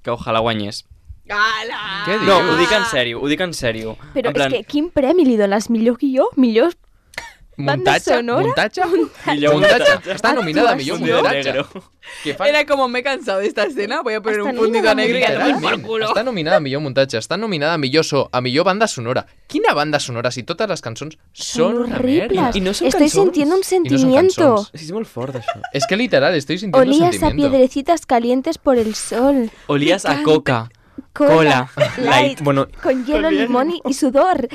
que ojalà guanyés. Ala! Què dius? No, ho dic en sèrio, ho dic en sèrio. Però en plan, és que quin premi li dones? Millor guió? Millor... Banda Muntatge? sonora? Muntatge? millor Muntatge? Està nominada a millor Actuació. muntatge. negro. Que fan... Era como me he cansado de esta escena, voy a poner Està un puntito nominada negro y a tomar por Literalment, culo. està nominada a millor muntatge, està nominada a millor so, a millor banda sonora. Quina banda sonora si totes les cançons són una horribles. merda? I no són Estoy cançons. sintiendo un I no són sentimiento. cançons. Sí, és molt fort, això. Es que literal, estoy sintiendo un Olías a sentimiento. piedrecitas calientes por el sol. Olías a coca. Cola, Cola, light, Bueno, con hielo, limón y sudor.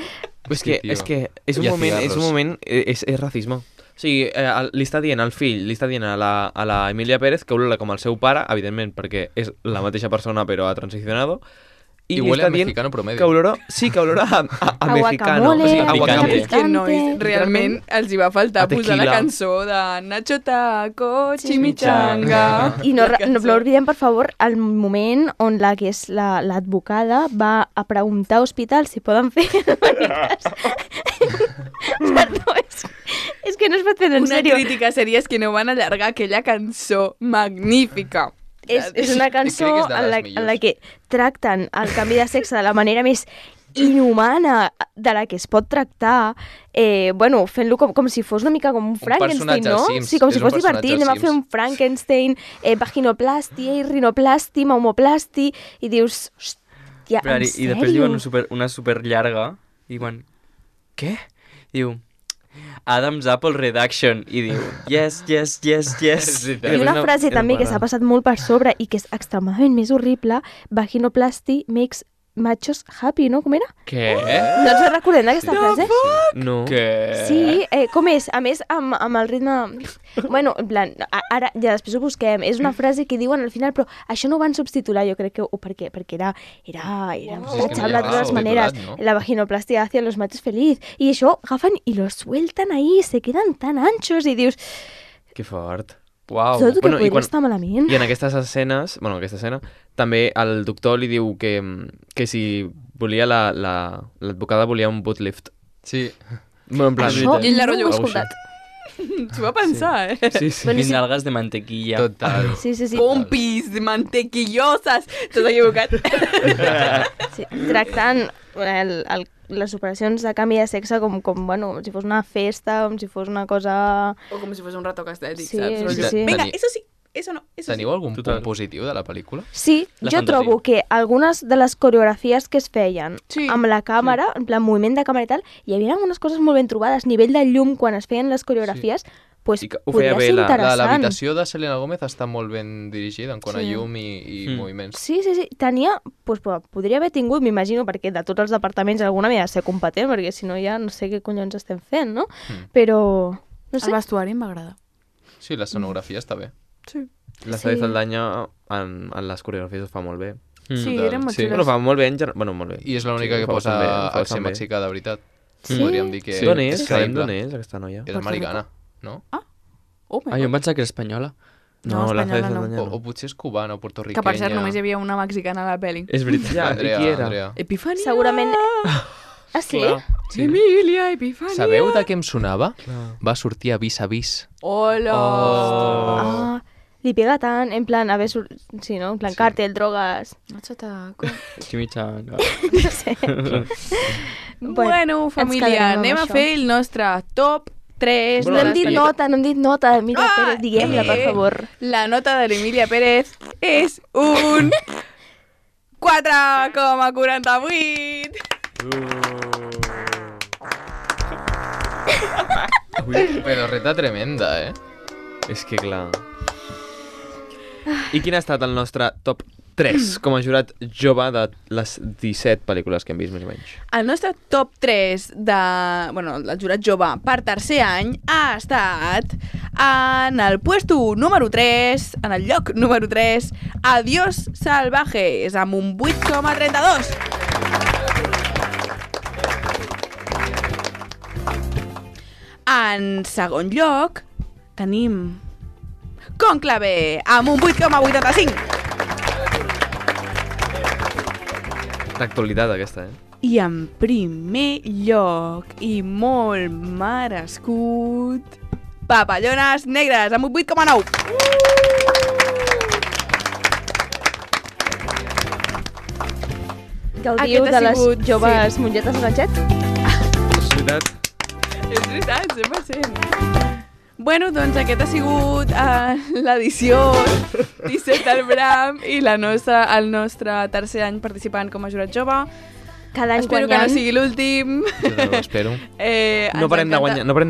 és que, tio. és que és un I a moment, cigarros. és racisme. O sigui, li està dient al fill, li està dient a la Emilia Pérez que olora com el seu pare, evidentment, perquè és la mateixa persona però ha transicionado, i I li huele està a dient mexicano promedio. que olora, sí, que olora a mexicano. guacamole, O sigui, a picante. guacamole. És que nois, realment els hi va faltar A posar la tequila. cançó de Nacho Taco, Chimichanga. I no oblidem, per favor, el moment on que és l'advocada va a preguntar a hospitals si poden fer Perdó, és que no es pot fer en Una sèrio. crítica seria és que no van allargar aquella cançó magnífica. És una cançó crec que és de en les la millors. que tracten el canvi de sexe de la manera més inhumana de la que es pot tractar, bueno, fent-lo com si fos una mica com un Frankenstein, personatge no? als Sims, Sí, com si és un fos divertit, personatge anem a als fer un Sims. Frankenstein, vaginoplasti, rinoplasti, maumoplasti, i dius, hòstia, Però, en i sèrio? després diuen una super llarga i diuen, què? Diu, Adam's Apple Reduction i diu, yes, yes, yes, yes. Sí, I una no, frase era també que bona. s'ha passat molt per sobre i que és extremadament més horrible, vaginoplasti makes machos happy, no? Com era? Què? No ens recordem d'aquesta frase? No. Què? Sí, com és? A més, amb el ritme... Bueno, en plan, ara ja després ho busquem. És una frase que diuen al final, però això no ho van subtitular, jo crec que... O perquè era Sí, és que no tachable de hi ha totes maneres. subtitulat, no? La vaginoplastia hacia los machos feliz. I això agafen i lo sueltan ahí, se quedan tan anchos i dius, Que fort. Uau. tot el que Bueno, i podria quan- estar malament. I en aquestes escenes, bueno, en aquesta escena, també el doctor li diu que si volia l'advocada volia un boot lift. Sí. Bueno, en plan, Això I ell la no rotllo ho he algo escoltat. S'ho va pensar, eh? Sí, sí. Bueno, Mis nalgas de mantequilla. Total. Sí. Pompis mantequillosas. T'has equivocat. Sí, tractant les operacions de canvi de sexe com si fos una festa, com si fos una cosa... O com si fos un retoc estètic, Sí, saps? sí, Rotllo, sí. Vinga, Teni- eso sí, eso no, eso Teniu sí. algun Total. punt positiu de la pel·lícula? Sí, La jo fantasia. trobo que algunes de les coreografies que es feien Sí. amb la càmera, en plan moviment de càmera i tal, hi havia algunes coses molt ben trobades, nivell de llum quan es feien les coreografies, pues, I que ho feia podria bé ser la- interessant. L'habitació de Selena Gómez està molt ben dirigida en quant a Sí. llum i moviments. Sí, tenia... Pues, podria haver tingut, m'imagino, perquè de tots els departaments alguna havia de ser competent, perquè si no ja no sé què collons estem fent, no? Però, no sé. El vestuari em va agradar. Sí, l'escenografia està bé. Sí. La Sadi Saldaña en les coreografies ho fa molt bé. Sí, Total. eren molt Sí. xules. Bueno, fa molt bé en general. Bueno, molt bé. I és l'única Sí, que ho fa posa bastant bé, ho fa accent bastant bé. mexicà de veritat. Sí? Podríem dir que Sí. D'on és? és Sabem creïble. d'on és, aquesta noia? És americana, no? Oh, Ah, jo em pensava que era espanyola. No, la espanyola Sadi no. Saldaña O potser és cubana o portorriquenya. que per cert només hi havia una mexicana a la pel·li. És veritat. Ja, Andrea, i qui era? Andrea. Epifania! Segurament... Ah, sí? Clar. Sí. Emilia, Epifania! Sabeu de què em sonava? Clar. Va sortir a Vis a Vis. Hola! Oh. Ah, li pega tant, en plan, a veure... Sí, no? En plan, càrtel, drogues... Machataco. Chimichanga. No sé. Bueno, ens família, quedarem amb anem a això. fer el nostre top 3 No hem dit nota, no hem dit nota. Mira, Pere, diguem-la, per favor. La nota de l'Emília Pérez és un 4,48. Però reta tremenda, eh? És que clar... I quin ha estat el nostre top 3 com a jurat jove de les 17 pel·lícules que hem vist, més o menys? El nostre top 3 de... Bueno, el jurat jove per tercer any ha estat en el puesto número 3, en el lloc número 3, Adiós Salvajes, amb un 8,32. En segon lloc tenim Cònclave, amb un 8,85. L'actualitat aquesta, I en primer lloc, i molt merescut, Papallones Negres, amb un 8,9. Gaudiu Aquest ha de les sigut- joves mongetes de ganxet? És veritat? És veritat, 100%. Bueno, doncs aquest ha sigut l'edició 17 del Bram i el nostre tercer any participant com a jurat jove. Cada any Espero que guanyant. no sigui l'últim. Jo ho espero. No parem de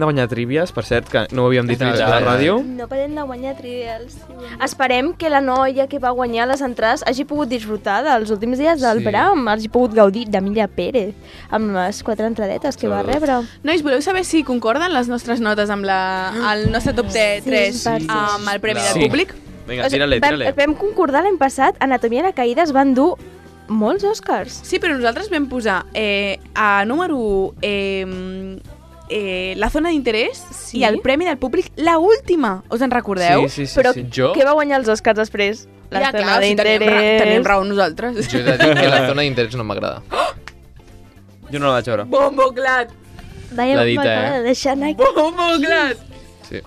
guanyar trívies, per cert, que no ho havíem dit a la ràdio. No parem de guanyar trivials. Esperem que la noia que va guanyar les entrades hagi pogut disfrutar dels últims dies del Sí. Bram, hagi pogut gaudir d'Emilia Pérez, amb les 4 entradetes que va Sobretot. rebre. Nois, voleu saber si concorden les nostres notes amb el nostre top 3 Sí. amb el Premi Sí. del Públic? Vinga, tira-li. Vam concordar l'any passat, Anatomia de Caïdes van dur molts Oscars. Sí, però nosaltres vam posar a número 1 la zona d'interès Sí. i el Premi del Públic, la última. Us en recordeu? Sí. Però Jo? què va guanyar els Oscars després? La Ja, zona clar, si d'interès. tenim raó nosaltres. Jo he de dir que la zona d'interès no m'agrada. Jo no la vaig veure. Bombo clat! Vaja, La dita, m'acaba de deixar anar aquí. Bombo clat! Sí.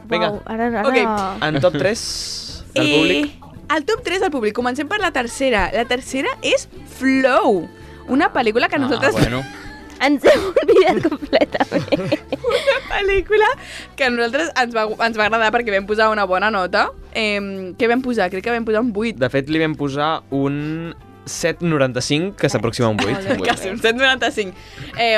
Vinga. Uau, ara... Ok. En top 3 del públic. El top 3 del públic. Comencem per la tercera. La tercera és Flow, una pel·lícula que nosaltres... bueno. Ens hem oblidat completament. Una pel·lícula que a nosaltres ens va agradar perquè vam posar una bona nota. Què vam posar? Crec que vam posar un 8. De fet, li vam posar un 7,95, que s'aproxima a un 8. Quasi un 7,95.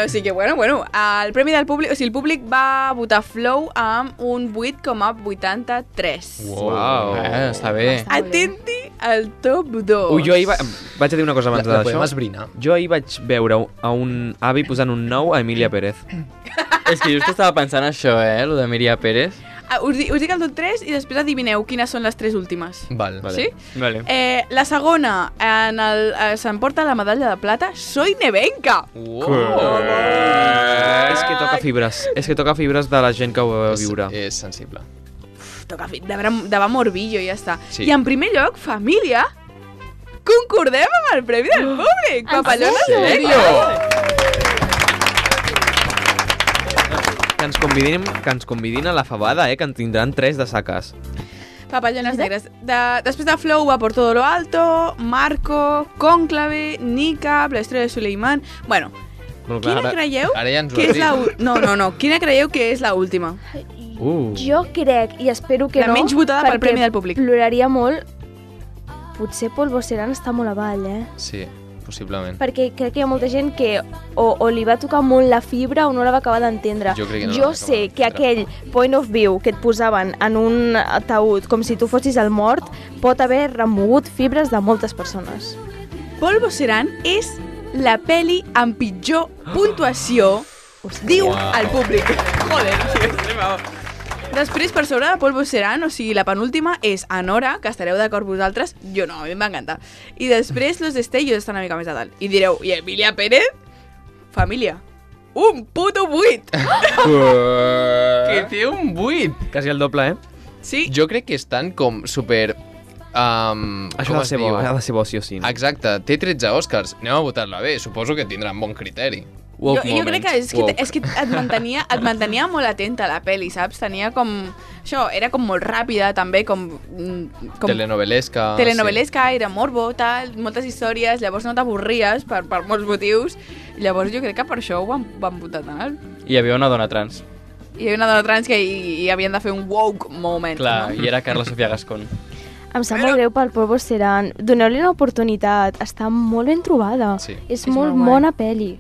O sigui que, bueno, el Premi del Públic... O sigui, el públic va votar Flow amb un 8,83. Uau. Està bé. Atenti al top 2. Ui, jo ahir vaig a dir una cosa abans La podem d'això. esbrinar. Jo ahir vaig veure a un avi posant un 9 a Emília Pérez. És que just estava pensant això, lo de Miria Pérez. Us dic el top 3 i després adivineu quines són les 3 últimes. Val. Vale. Sí? Vale. La segona, s'emporta la medalla de plata, Soy Nevenka. És que toca fibres. És que toca fibres de la gent que ho va viure. És sensible. De va morbillo i ja està. Sí. I en primer lloc, família, concordem amb el Premi del Públic. Papallones ¿En Negres. Que ens convidin a la fabada, que en tindran 3 de saques. Papallones Negres. Després de Flow va por todo lo alto, Marco, Cònclave, Nika, la història de Suleiman... Bueno, quina creieu Ara ja ens ho que has és la... dit. No. Quina creieu que és la última? Jo crec, i espero que La no... menys votada pel perquè Premi del Públic. Ploraria molt. Potser Polvo Serán està molt avall, Sí. possiblement. Perquè crec que hi ha molta gent que o li va tocar molt la fibra o no la va acabar d'entendre. Jo crec que no la Jo va sé acabar que d'entendre. aquell point of view que et posaven en un ataúd com si tu fossis el mort pot haver remogut fibres de moltes persones. Polvo Serán és la peli amb pitjor puntuació, diu al públic. Joder, tio, després, per sobre de Polvo Serán, o sigui, la penúltima és Anora, que estareu d'acord vosaltres, jo no, a mi em va encantar. I després Los Destellos estan una mica més a dalt. I direu, i Emilia Pérez? Família. Un puto 8! Que té un 8! Quasi el doble, eh? Sí, Jo crec que estan com super... Això ha de ser bo, ha de ser bo, sí o sí. No? Exacte, té 13 Oscars. Anem a votar-la bé, suposo que tindran bon criteri. jo crec que és que et mantenia molt atenta a la peli, saps? Tenia com... Això, era com molt ràpida, també, com Telenovelesca. telenovelesca, era morbo, tal, moltes històries, llavors no t'avorries per molts motius. Llavors jo crec que per això ho van votar tan alt. Hi havia una dona trans. Hi havia una dona trans que hi havien de fer un woke moment. Clar, no? i era Carla Sofia Gascón. Em sap molt greu pel Polvo Serán. Doneu-li una oportunitat. Està molt ben trobada. Sí. És molt molt guai. bona pel·li.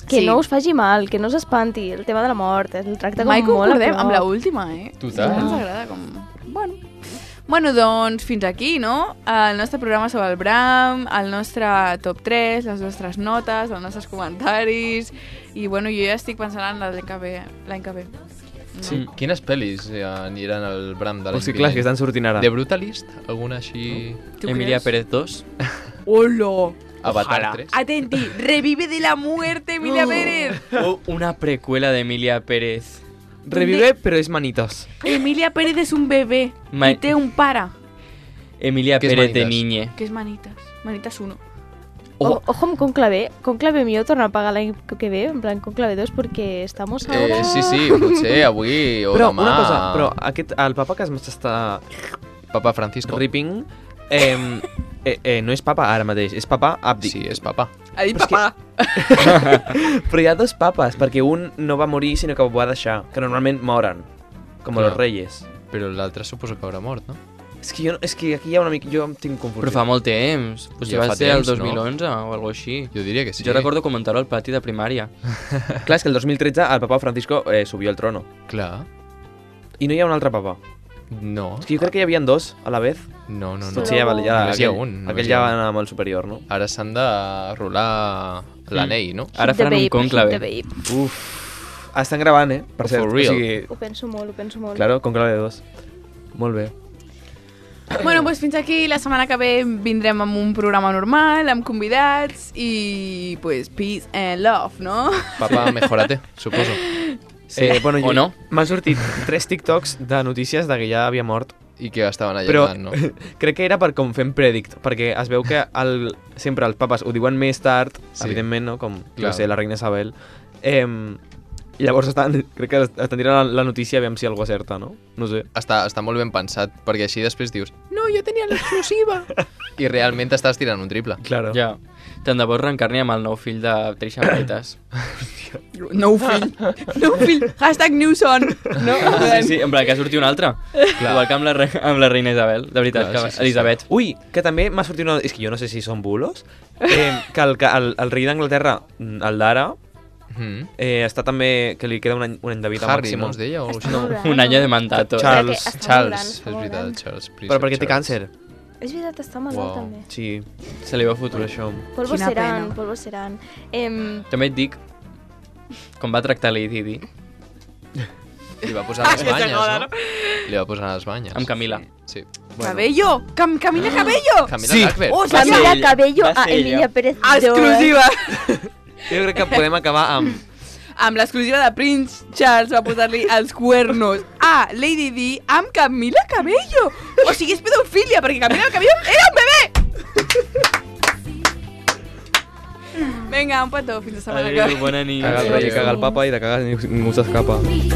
Que Sí. no us faci mal, que no us espanti. El tema de la mort, el tracta com Mai molt a concordem prop. amb l'última, eh? Total. Ens agrada com... Bueno, doncs fins aquí, no? El nostre programa sobre el Bram, el nostre top 3, les nostres notes, els nostres comentaris... I bueno, jo ja estic pensant en l'any que ve. Sí. Quines pel·lis aniran al Bram de l'any O sigui, clar, que estan sortint ara. The Brutalist? Alguna així... Tu Emilia creus? Pérez 2. ¡Hola! Avatar Ojalá. 3? Atenti, revive de la muerte, Emilia Pérez. O una precuela de Emilia Pérez. Revive, però és manitos. Emilia Pérez és un bebè Ma- i té un pare, Emilia ¿Qué es Pérez de Manitas? niñe. que és Manitas. Manitas 1. Ojo amb Conclave. Conclave millor tornar a pagar l'any que ve, en plan Conclave 2, perquè estamos ahora... Sí, potser avui o Però demà... una cosa, però el papa que m'està Papa Francisco. ripping no és papa ara mateix, és papa Abdi. Sí, és papa. Ha dit Però és que- papà. Però hi ha dos papes, perquè un no va morir, sinó que ho va deixar, que normalment moren, com Clar. los reyes. Però l'altre suposo que haurà mort, no? És que aquí hi ha una mica... Jo em tinc confusió. Però fa molt temps. Potser Ja va fa ser el temps, no? 2011 o alguna així. Jo diria que sí. Jo recordo comentar-ho al pati de primària. Clar, és que el 2013 el papa Francisco subió al trono. Clar. I no hi ha un altre papa. No. És que jo crec que hi havia dos a la vez. No. Potser ja, Però- ja, Només hi ha aquell, un, només aquell hi ha ja un. va anar amb el superior, no? Ara s'han de rolar l'anell, no? Ara Hit the faran un babe, conclave. hit the babe. Uf. Estan gravant, per For cert. real. O sigui, Ho penso molt. claro, conclave de dos. Molt bé. Bueno, doncs fins aquí. La setmana que ve vindrem amb un programa normal, amb convidats i, pues, peace and love, no? Papa, mejorate, suposo. Sí, bueno, o no? M'han sortit 3 TikToks de notícies de que ja havia mort. I que estaven Però allargant, no? crec que era per com fem predict, perquè es veu que sempre els papes ho diuen més tard, Sí. evidentment, no? Com, Clar. no sé, la reina Isabel. Llavors crec que estan tirant la notícia a veure si algú acerta, no? No sé. Està molt ben pensat, perquè així després dius no, jo tenia l'exclusiva. I realment estàs tirant un triple. Claro. Ja. Tant de bo es reencarni amb el nou fill de Trisha Paytas. No fill. No fill. Hashtag Newson. No? Sí, en plan, que surti un altre. Igual que amb la reina Isabel. De veritat, Clar, que sí. Elisabet. Ui, que també m'ha sortit una... És que jo no sé si són bulos. Que el rei d'Anglaterra, el d'ara, està també... Que li queda un any de vida Harry, màxim. no es deia? O Està no? molt gran, Un any no? de mandato. Charles. Està molt gran, Charles, està és molt gran. veritat, Charles. Però perquè té Charles. càncer. És veritat, està malalt Uau. també. Sí, Se li va per fotre. això. Polvo Quina seran, pena. polvo seran. També et dic, com va tractar Lady Di, Li va posar les banyes, no? Li va posar les banyes. amb Camila. Sí. Cabello. Camila Cabello. Camila Sí. Lackberg. Oh, Va mirar ella, cabello va a ser ella. Emilia Pérez. Exclusiva. Jo crec que podem acabar amb... Amb l'exclusiva de Prince Charles va posar-li els cuernos a Lady Di amb Camila Cabello. O sigui, és pedofilia, perquè Camila Cabello era un bebè. Vinga, un petó, fins la setmana que ve. Adéu, bona nit. Caga el rei, caga el papa i de cagar ningú s'escapa. Hey,